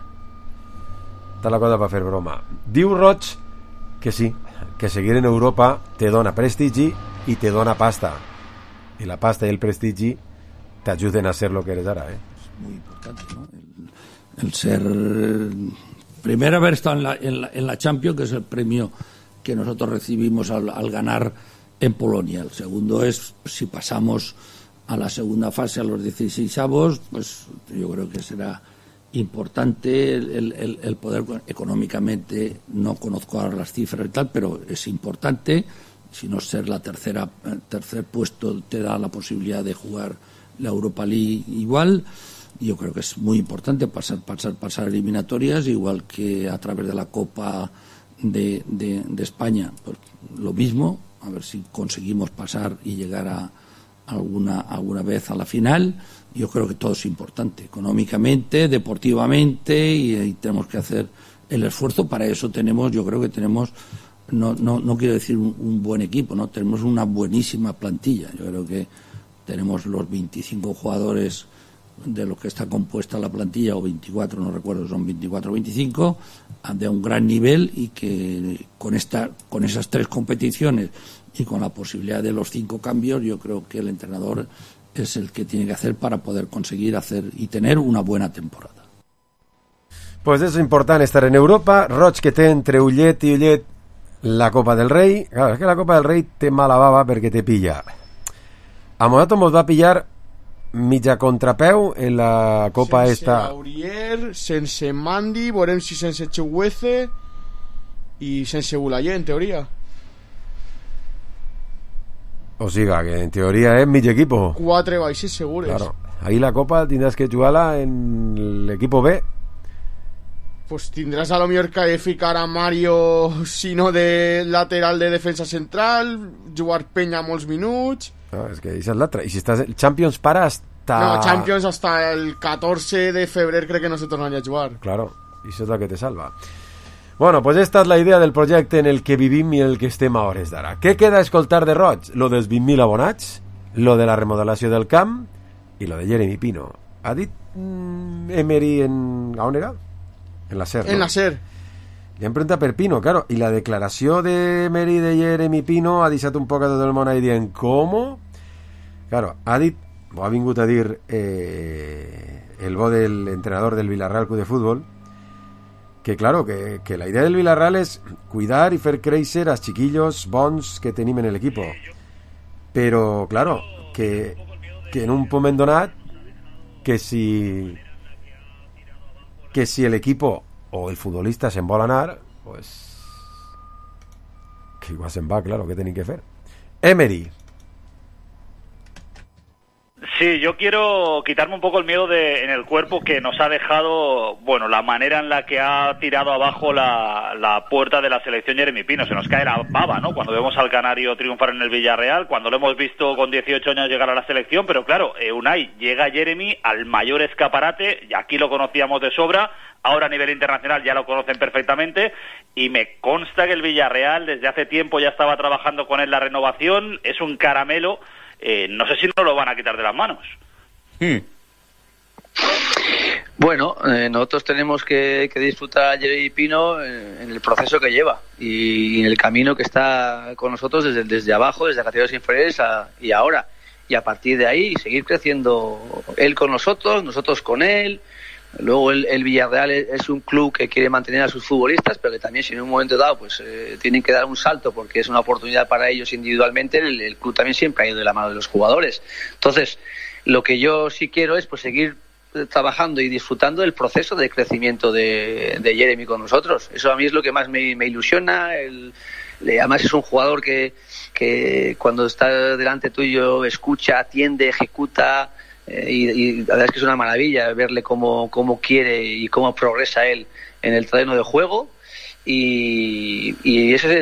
Està la cosa per fer broma. Diu Roig que sí, que seguir en Europa te dona prestigi i te dona pasta. I la pasta i el prestigi t'ajuden a ser lo que eres ara, Muy importante, ¿no? El ser primero haber estado en la Champions, que es el premio que nosotros recibimos al ganar en Polonia. El segundo es, si pasamos a la segunda fase, a los 16avos, pues yo creo que será importante el poder económicamente. No conozco ahora las cifras y tal, pero es importante. Si no ser tercer puesto te da la posibilidad de jugar la Europa League igual. Yo creo que es muy importante pasar eliminatorias, igual que a través de la Copa de España, pues lo mismo, a ver si conseguimos pasar y llegar a alguna vez a la final. Yo creo que todo es importante, económicamente, deportivamente, y tenemos que hacer el esfuerzo. Para eso yo creo que tenemos, no quiero decir un buen equipo, no, tenemos una buenísima plantilla. Yo creo que tenemos los 25 jugadores de lo que está compuesta la plantilla, o 24, no recuerdo, son 24 o 25, de un gran nivel, y que con esas 3 competiciones y con la posibilidad de los 5 cambios, yo creo que el entrenador es el que tiene que hacer para poder conseguir hacer y tener una buena temporada. Pues és important estar en Europa. Roig, que té entre ullet i ullet la Copa del Rei. Claro, és que la Copa del Rei té mala bava perquè te pilla. A nosaltres mos va pillar mitja contrapeu en la Copa sense esta. Laurier, sense Mandi, veurem si sense Chuguece i sense Bulayer, en teoria. O siga, que en teoria és mig equipo. 4 baixes segures. Claro. Ahí la Copa tindràs que jugar-la en l'equipo B. Pues tindràs a lo millor que ficar a Mario, si no de lateral de defensa central, jugar Peña molts minuts. No, és que això és l'altre. I si estàs el Champions para hasta... No, Champions hasta el 14 de febrer crec que no se tornaria a jugar. Claro, i això és la que te salva. Bueno, pues esta és la idea del projecte en el que vivim i en el que estem a hores d'ara. Què queda a escoltar de Roig? Lo dels 20.000 abonats, lo de la remodelació del camp i lo de Jeremy Pino. Ha dit Emery en... a on era? En la SER, en ¿no? la SER. I hem preguntat per Pino, claro, i la declaració de Emery de Jeremy Pino ha deixat un poc a tot el món ahí dient ¿cómo? Claro, ha dit, o ha vingut a dir el bo del entrenador del Villarreal Club de Fútbol, que claro, que la idea del Villarreal és cuidar i fer créixer als chiquillos bons que tenim en l'equipo, però claro, que en un moment donat que si el equipo o el futbolista se'n vol anar, pues que igual se'n va, claro, què tenim que fer? Emery. Sí, yo quiero quitarme un poco el miedo en el cuerpo que nos ha dejado, bueno, la manera en la que ha tirado abajo la puerta de la selección Jeremy Pino. Se nos cae la baba, ¿no? Cuando vemos al canario triunfar en el Villarreal, cuando lo hemos visto con 18 años llegar a la selección, pero claro, Unai, llega Jeremy al mayor escaparate, y aquí lo conocíamos de sobra, ahora a nivel internacional ya lo conocen perfectamente, y me consta que el Villarreal desde hace tiempo ya estaba trabajando con él la renovación, es un caramelo. No sé si no lo van a quitar de las manos. Bueno, nosotros tenemos que disfrutar a Jeremy Pino en el proceso que lleva y en el camino que está con nosotros desde abajo, desde categorías inferiores y ahora. Y a partir de ahí seguir creciendo él con nosotros con él. Luego el Villarreal es un club que quiere mantener a sus futbolistas, pero que también si en un momento dado pues tienen que dar un salto porque es una oportunidad para ellos individualmente, el club también siempre ha ido de la mano de los jugadores. Entonces, lo que yo sí quiero es pues seguir trabajando y disfrutando del proceso de crecimiento de Jeremy con nosotros. Eso a mí es lo que más me ilusiona. Además es un jugador que cuando está delante tuyo escucha, atiende, ejecuta. Y la verdad es que es una maravilla verle cómo quiere y cómo progresa él en el terreno de juego y ese es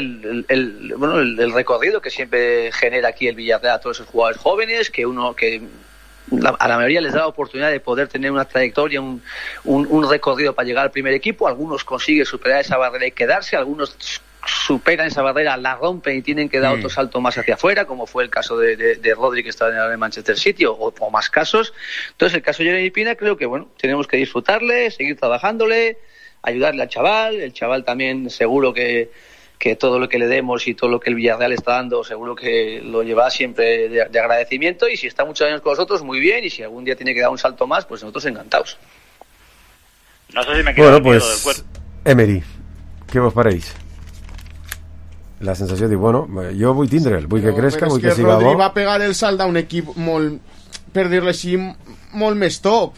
el recorrido que siempre genera aquí el Villarreal a todos esos jugadores jóvenes que a la mayoría les da la oportunidad de poder tener una trayectoria, un recorrido para llegar al primer equipo. Algunos consiguen superar esa barrera y quedarse, algunos superan esa barrera, la rompen y tienen que dar otro salto más hacia afuera, como fue el caso de Rodri, que está en el Manchester City, o más casos. Entonces, el caso de Jeremy Pino, creo que bueno, tenemos que disfrutarle, seguir trabajándole, ayudarle al chaval. El chaval también seguro que todo lo que le demos y todo lo que el Villarreal está dando, seguro que lo llevará siempre de agradecimiento, y si está muchos años con nosotros, muy bien, y si algún día tiene que dar un salto más, pues nosotros encantados. No sé si me queda bueno, el miedo pues, del cuerpo. Emery, què vos pareix? La sensació de, bueno, jo vull tindre'l, vull que crezca, vull que siga bo. Rodri va pegar el salt a un equip molt, per dir-li així, molt més top.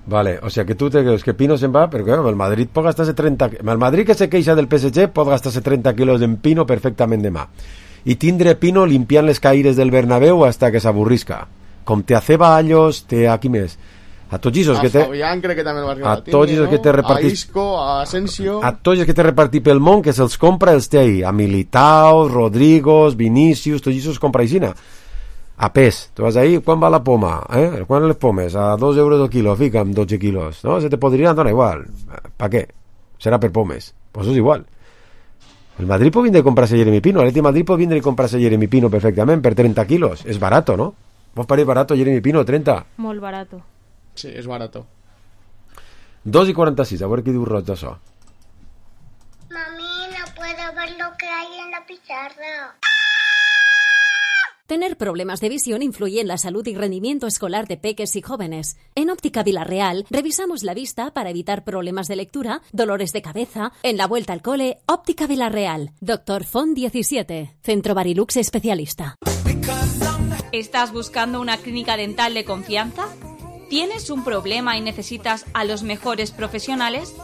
Vale, o sea que tu te creus que Pino se'n va, però claro, el Madrid pot gastar-se 30... El Madrid que se queixa del PSG pot gastar-se 30 quilos en Pino perfectament demà. I tindre Pino limpiant les caires del Bernabéu hasta que s'avorrisca. Com te a Ceballos, te a qui més? A tots esos que té... Fabián crec que també va arribar a tots esos que té repartit... A Isco, a Asensio... A tots els que té repartit pel món, que se'ls compra, els té ahí. A Militao, Rodrigo, Vinícius, tots esos compra aixina. A pes. Tu vas ahí, quan va la poma? Quan les pomes? A 2 euros el quilo, fica'm 12 quilos. No? Se te podrien donar igual. Pa què? Serà per pomes. Pues és igual. El Madrid pot vindre a comprar-se Jeremy Pino. L'Atleti Madrid pot vindre a comprar-se Jeremy Pino perfectament per 30 quilos. És barato, ¿no? Vos pareix barato Jeremy Pino, 30? Molt barato. Sí, és barato. 2:46, a veure què diu Roig d'això. Mami, no puedo ver lo que hay en la pizarra. Tener problemas de visión influye en la salud y rendimiento escolar de peques y jóvenes. En Óptica Villarreal revisamos la vista para evitar problemas de lectura, dolores de cabeza. En la vuelta al cole, Óptica Villarreal. Dr. Font 17, Centro Barilux Especialista. ¿Estás buscando una clínica dental de confianza? ¿Tienes un problema y necesitas a los mejores profesionales?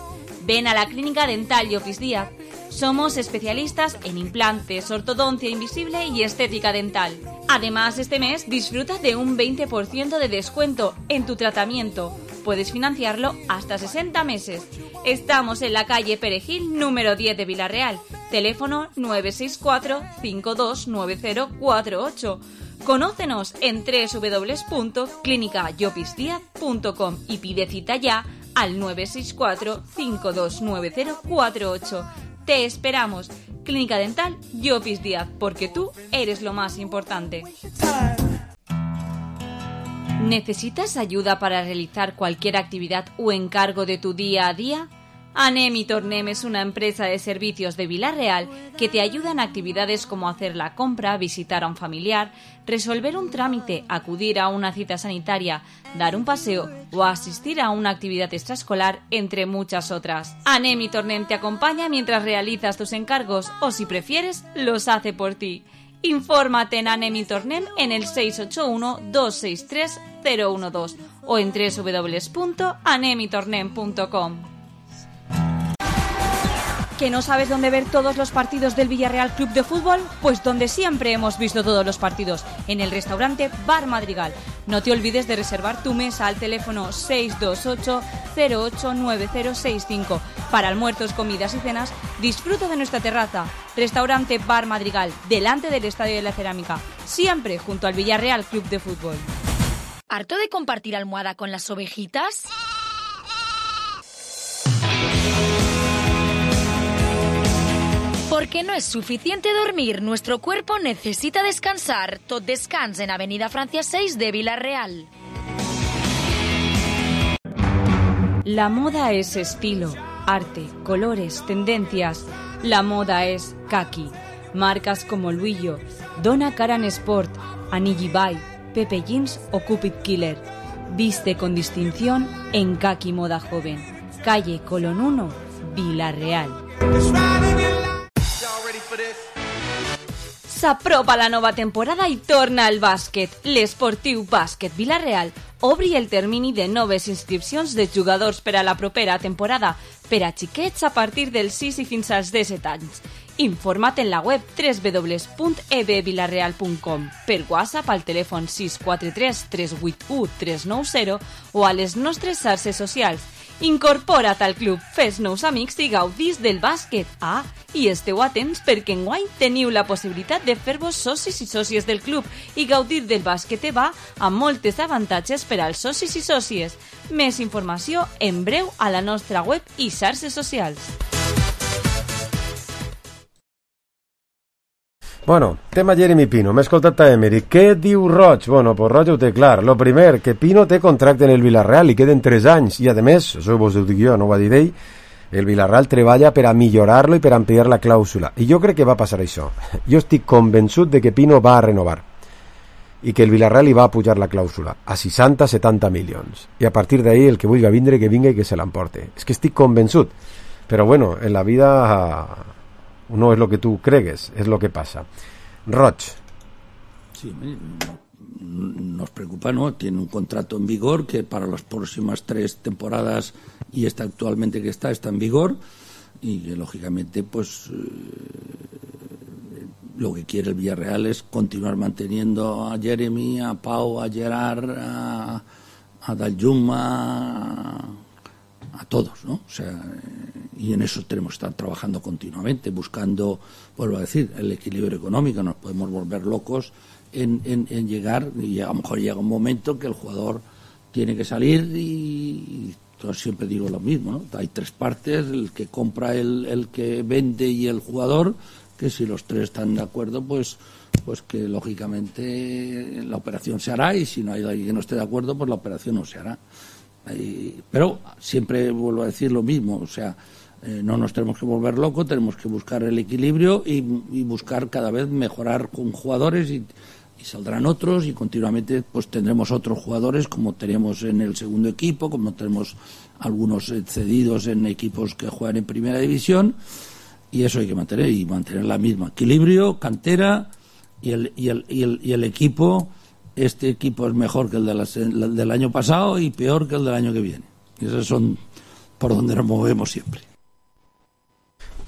Ven a la Clínica Dental Llopis Díaz. Somos especialistas en implantes, ortodoncia invisible y estética dental. Además, este mes disfruta de un 20% de descuento en tu tratamiento. Puedes financiarlo hasta 60 meses. Estamos en la calle Perejil, número 10 de Villarreal. Teléfono 964 529048. Conócenos en www.clinicallopisdiaz.com y pide cita ya al 964 529048. Te esperamos. Clínica Dental Llopis Díaz, porque tú eres lo más importante. ¿Necesitas ayuda para realizar cualquier actividad o encargo de tu día a día? Anem y Tornem es una empresa de servicios de Villarreal que te ayuda en actividades como hacer la compra, visitar a un familiar, resolver un trámite, acudir a una cita sanitaria, dar un paseo o asistir a una actividad extraescolar, entre muchas otras. Anem y Tornem te acompaña mientras realizas tus encargos o, si prefieres, los hace por ti. Infórmate en Anem y Tornem en el 681-263-012 o en www.anemitornem.com. ¿Que no sabes dónde ver todos los partidos del Villarreal Club de Fútbol? Pues donde siempre hemos visto todos los partidos, en el restaurante Bar Madrigal. No te olvides de reservar tu mesa al teléfono 628-089065. Para almuerzos, comidas y cenas, disfruta de nuestra terraza. Restaurante Bar Madrigal, delante del Estadio de la Cerámica, siempre junto al Villarreal Club de Fútbol. ¿Harto de compartir almohada con las ovejitas? Porque no es suficiente dormir, nuestro cuerpo necesita descansar. Tot Descans en Avenida Francia 6 de Villarreal. La moda es estilo, arte, colores, tendencias. La moda es kaki. Marcas como Luillo, Donna Karan Sport, Anigi Bay, Pepe Jeans o Cupid Killer. Viste con distinción en Kaki Moda Joven. Calle Colón 1, Villarreal. S'apropa la nova temporada i torna al bàsquet. L'Esportiu Bàsquet Villarreal obri el termini de noves inscripcions de jugadors per a la propera temporada per a xiquets a partir dels 6 i fins als 17 anys. Informa't en la web www.ebvillarreal.com, per WhatsApp al telèfon 643 381 390 o a les nostres xarxes socials. Incorpora't al club, fes nous amics i gaudís del bàsquet. Ah, i esteu atents perquè enguany teniu la possibilitat de fer-vos socis i sòcies del club i gaudir del bàsquet EVA amb moltes avantatges per als socis i sòcies. Més informació en breu a la nostra web i xarxes socials. Bueno, tema Jeremy Pino, m'he escoltat a Emery. Què diu Roig? Bueno, pues Roig ho té clar. Lo primer, que Pino té contracte en el Villarreal i queden 3 anys. I a més, això vos ho dic jo, no ho va dir ell, el Villarreal treballa per a millorar-lo i per a ampliar la clàusula. I jo crec que va passar això. Jo estic convençut de que Pino va a renovar i que el Villarreal hi va a pujar la clàusula a 60-70 milions. I a partir d'ahí el que vulgui vindre, que vinga i que se l'emporte. És que estic convençut. Però bueno, en la vida... no es lo que tú cregues, es lo que pasa. Roch. Sí, nos preocupa, ¿no? Tiene un contrato en vigor que para las próximas 3 temporadas y esta actualmente que está en vigor y que lógicamente pues lo que quiere el Villarreal es continuar manteniendo a Jeremy, a Pau, a Gerard, a Daljuma, a todos, ¿no? O sea, y en eso tenemos que estar trabajando continuamente, buscando, vuelvo a decir, el equilibrio económico. Nos podemos volver locos en llegar, y a lo mejor llega un momento que el jugador tiene que salir y yo siempre digo lo mismo, ¿no? Hay 3 partes, el que compra, el que vende y el jugador, que si los 3 están de acuerdo, pues que lógicamente la operación se hará, y si no hay alguien que no esté de acuerdo, pues la operación no se hará. Pero siempre vuelvo a decir lo mismo, o sea, no nos tenemos que volver locos, tenemos que buscar el equilibrio y buscar cada vez mejorar con jugadores y saldrán otros y continuamente pues tendremos otros jugadores como tenemos en el segundo equipo, como tenemos algunos cedidos en equipos que juegan en primera división, y eso hay que mantener la misma equilibrio, cantera y el equipo este equipo es mejor que el del año pasado y peor que el del año que viene. Y esos son por donde nos movemos siempre.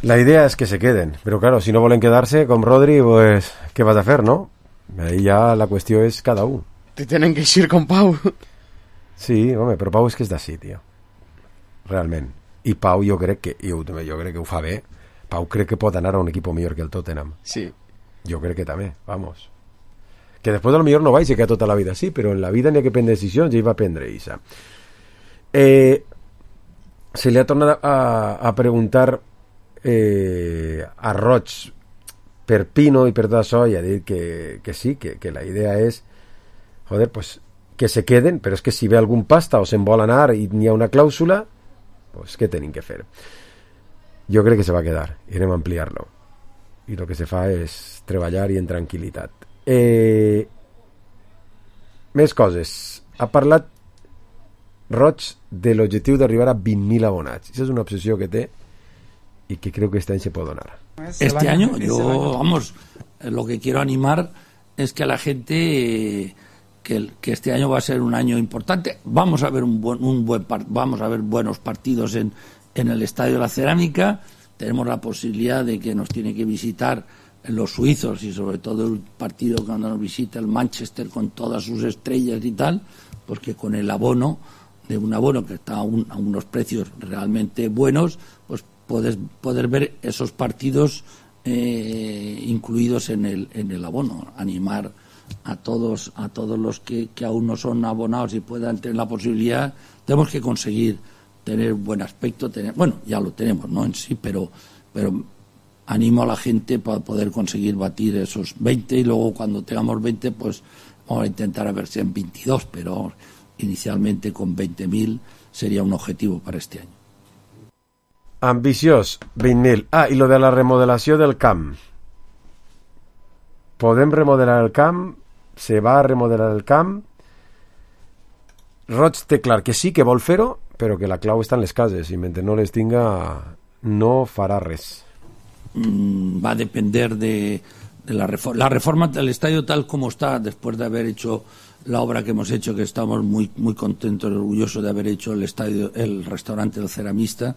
La idea es que se queden, pero claro, si no vuelven quedarse con Rodri, pues, ¿qué vas a hacer, no? Ahí ya la cuestión es cada uno. Te tienen que ir con Pau. Sí, home, però Pau és que és d'ací, tio. Realment. I Pau jo crec que ho fa bé. Pau crec que pot anar a un equip millor que el Tottenham. Sí. Jo crec que també, vamos. Que després a lo millor no vaig que tota la vida sí, però en la vida n'hi ha que prendre decisions i ell va prendre Isa. Se li ha tornat a preguntar a Roig per Pino i per tot això i ha dit que sí, que la idea és joder, pues que se queden, però és que si ve algun pasta o se'n vol anar i n'hi ha una clàusula, pues què tenim que fer? Jo crec que se va quedar i anem a ampliar-lo i el que se fa és treballar i en tranquil·litat. Més coses. Ha parlat Roig de l'objectiu d'arribar a 20.000 abonats. Esa és una obsessió que té y que creo que este año se puede donar. Este año, lo que quiero animar es que a la gente que este año va a ser un año importante. Vamos a ver vamos a ver buenos partidos en el Estadio de la Cerámica. Tenemos la posibilidad de que nos tiene que visitar los suizos y sobre todo el partido cuando nos visita el Manchester con todas sus estrellas y tal, pues que con el abono, de un abono que está a unos precios realmente buenos, pues poder ver esos partidos incluidos en el abono, animar a todos los que aún no son abonados y puedan tener la posibilidad. Tenemos que conseguir tener buen aspecto, bueno, ya lo tenemos, ¿no? En sí, pero animo a la gente para poder conseguir batir esos 20 y luego cuando tengamos 20 pues vamos a intentar a ver si en 22, pero inicialmente con 20.000 sería un objetivo para este año. Ambiciós, 20.000. I lo de la remodelació del camp. Podem remodelar el camp? Se va a remodelar el camp? Roig té clar que sí, que vol fer-ho, però que la clau està en les cases i mentre no les tinga no farà res. Va a depender de la reforma del estadio tal como está, después de haber hecho la obra que hemos hecho, que estamos muy contentos y orgullosos de haber hecho el restaurante del Ceramista.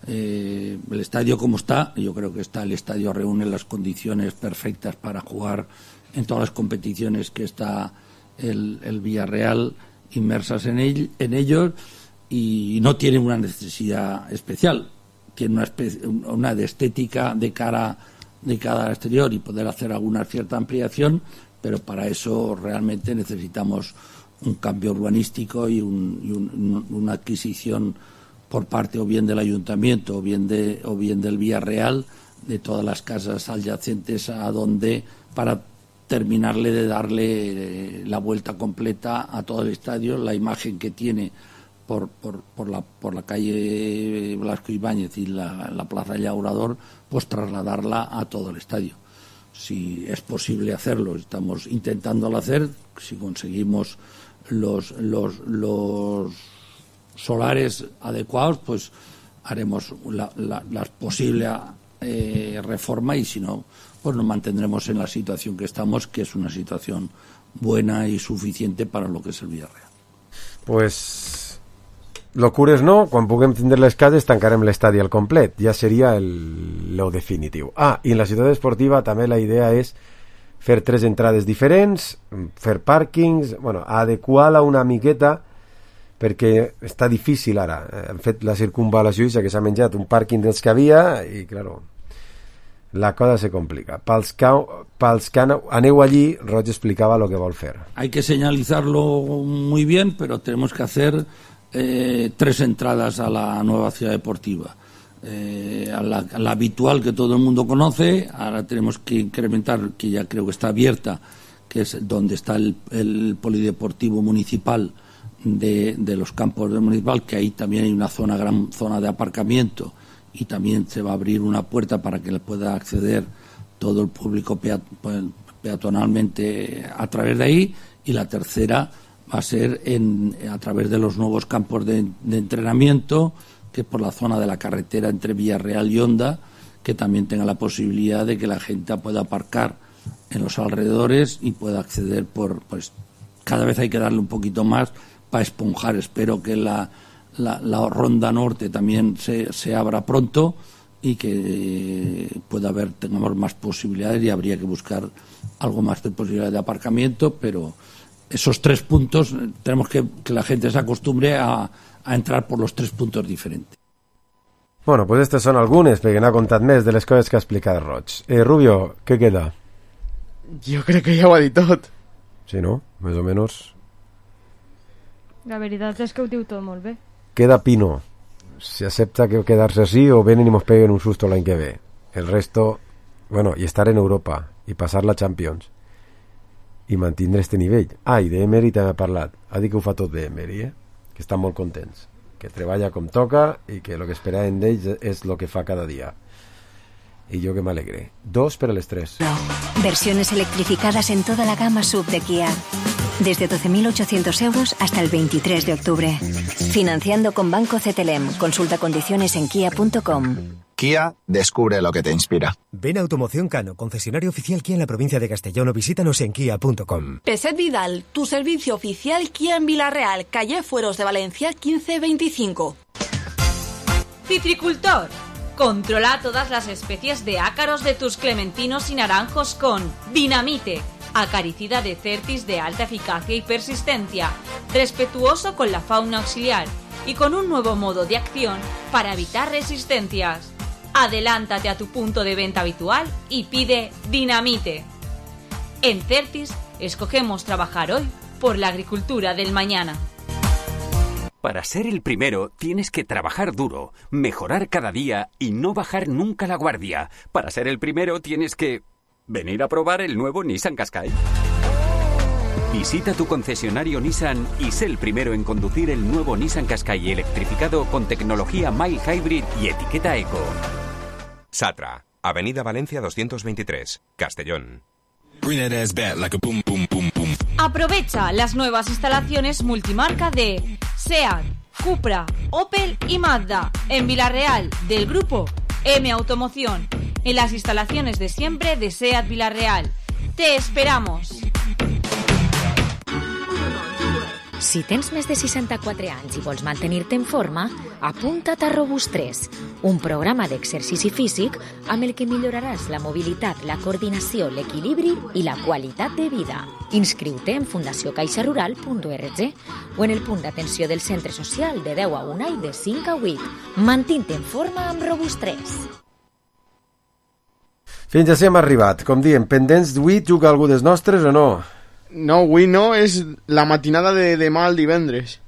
El estadio como está, yo creo que el estadio reúne las condiciones perfectas para jugar en todas las competiciones que está el Villarreal inmersas en ellos, y no tiene una necesidad especial, tiene una de estética de cara al exterior y poder hacer alguna cierta ampliación, pero para eso realmente necesitamos un cambio urbanístico y una adquisición por parte o bien del ayuntamiento o bien del Villarreal de todas las casas adyacentes para terminarle de darle la vuelta completa a todo el estadio. La imagen que tiene por la calle Blasco Ibáñez y la plaza Llaurador, pues trasladarla a todo el estadio. Si es posible hacerlo, estamos intentándolo hacer. Si conseguimos los solares adecuados, pues haremos la posible reforma, y si no, pues nos mantendremos en la situación que estamos, que es una situación buena y suficiente para lo que es el Villarreal. Pues locures no, quan puguem tindre les cases tancarem l'estadi al complet, ja seria lo definitiu. I en la ciutat esportiva també la idea és fer 3 entrades diferents, fer pàrquings, adequar-la una miqueta, perquè està difícil ara. Han fet la circunvalació que s'ha menjat un pàrquing dels que havia i, claro, la cosa se complica. Pels que aneu allí, Roig explicava lo que vol fer. Hay que señalizarlo muy bien, pero tenemos que hacer 3 entradas a la nueva ciudad deportiva. A la habitual que todo el mundo conoce. Ahora tenemos que incrementar, que ya creo que está abierta, que es donde está el polideportivo municipal de los campos del municipal, que ahí también hay una gran zona de aparcamiento, y también se va a abrir una puerta para que le pueda acceder todo el público peatonalmente a través de ahí. Y la tercera va a ser a través de los nuevos campos de entrenamiento, que es por la zona de la carretera entre Villarreal y Honda, que también tenga la posibilidad de que la gente pueda aparcar en los alrededores y pueda acceder cada vez hay que darle un poquito más para esponjar. Espero que la ronda norte también se abra pronto y que tengamos más posibilidades, y habría que buscar algo más de posibilidades de aparcamiento, pero esos 3 puntos tenemos que la gente se acostumbre a entrar por los 3 puntos diferentes. Bueno, pues estas són algunes, perquè n'ha contat més de les coses que ha explicat Roig. Rubio, què queda? Jo crec que ja ho ha dit tot. Sí, no? Més o menys. La veritat és que ho diu tot molt bé. Queda Pino. Si acepta que quedarse así o vienen y nos peguen un susto l'any que ve. El resto, bueno, y estar en Europa i passar la Champions i mantindre este nivell. I d'Emery també ha parlat. Ha dit que ho fa tot d'Emery, que estan molt contents, que treballa com toca i que el que esperaven d'ells és el que fa cada dia. Y yo que me alegré. 2 per a les 3. Versiones electrificadas en toda la gama SUV de Kia. Desde 12.800 euros hasta el 23 de octubre. Financiando con Banco CTLM. Consulta condiciones en kia.com. Kia, descubre lo que te inspira. Ven a Automoción Cano, concesionario oficial Kia en la provincia de Castellón, o visítanos en kia.com. Peset Vidal, tu servicio oficial Kia en Villarreal, calle Fueros de Valencia 1525. Citricultor. Controla todas las especies de ácaros de tus clementinos y naranjos con Dinamite, acaricida de Certis de alta eficacia y persistencia, respetuoso con la fauna auxiliar y con un nuevo modo de acción para evitar resistencias. Adelántate a tu punto de venta habitual y pide Dinamite. En Certis escogemos trabajar hoy por la agricultura del mañana. Para ser el primero tienes que trabajar duro, mejorar cada día y no bajar nunca la guardia. Para ser el primero tienes que venir a probar el nuevo Nissan Qashqai. Visita tu concesionario Nissan y sé el primero en conducir el nuevo Nissan Qashqai electrificado con tecnología mild hybrid y etiqueta eco. Satra, Avenida Valencia 223, Castellón. Aprovecha las nuevas instalaciones multimarca de SEAT, Cupra, Opel y Mazda en Villarreal del grupo M Automoción, en las instalaciones de siempre de SEAT Villarreal. ¡Te esperamos! Si tens més de 64 anys i vols mantenir-te en forma, apunta't a Robust3, un programa d'exercici físic amb el que milloraràs la mobilitat, la coordinació, l'equilibri i la qualitat de vida. Inscriu-te en fundaciocaixarural.org o en el punt d'atenció del centre social de 10 a 1 i de 5 a 8. Mantint-te en forma amb Robust3. Fins així hem arribat. Com diem, pendents d'avui, juga algú dels nostres o no? No, avui no, és la matinada de demà al divendres.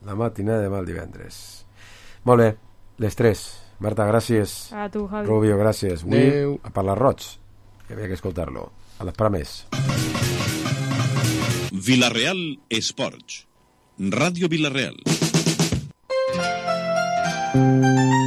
La matinada de demà al divendres. Molt bé, les 3. Marta, gràcies. A tu, Javi. Rubio, gràcies. Avui a parlar Roig, que havia que escoltar-lo. A l'esperar més. Villarreal Esports. Ràdio Villarreal.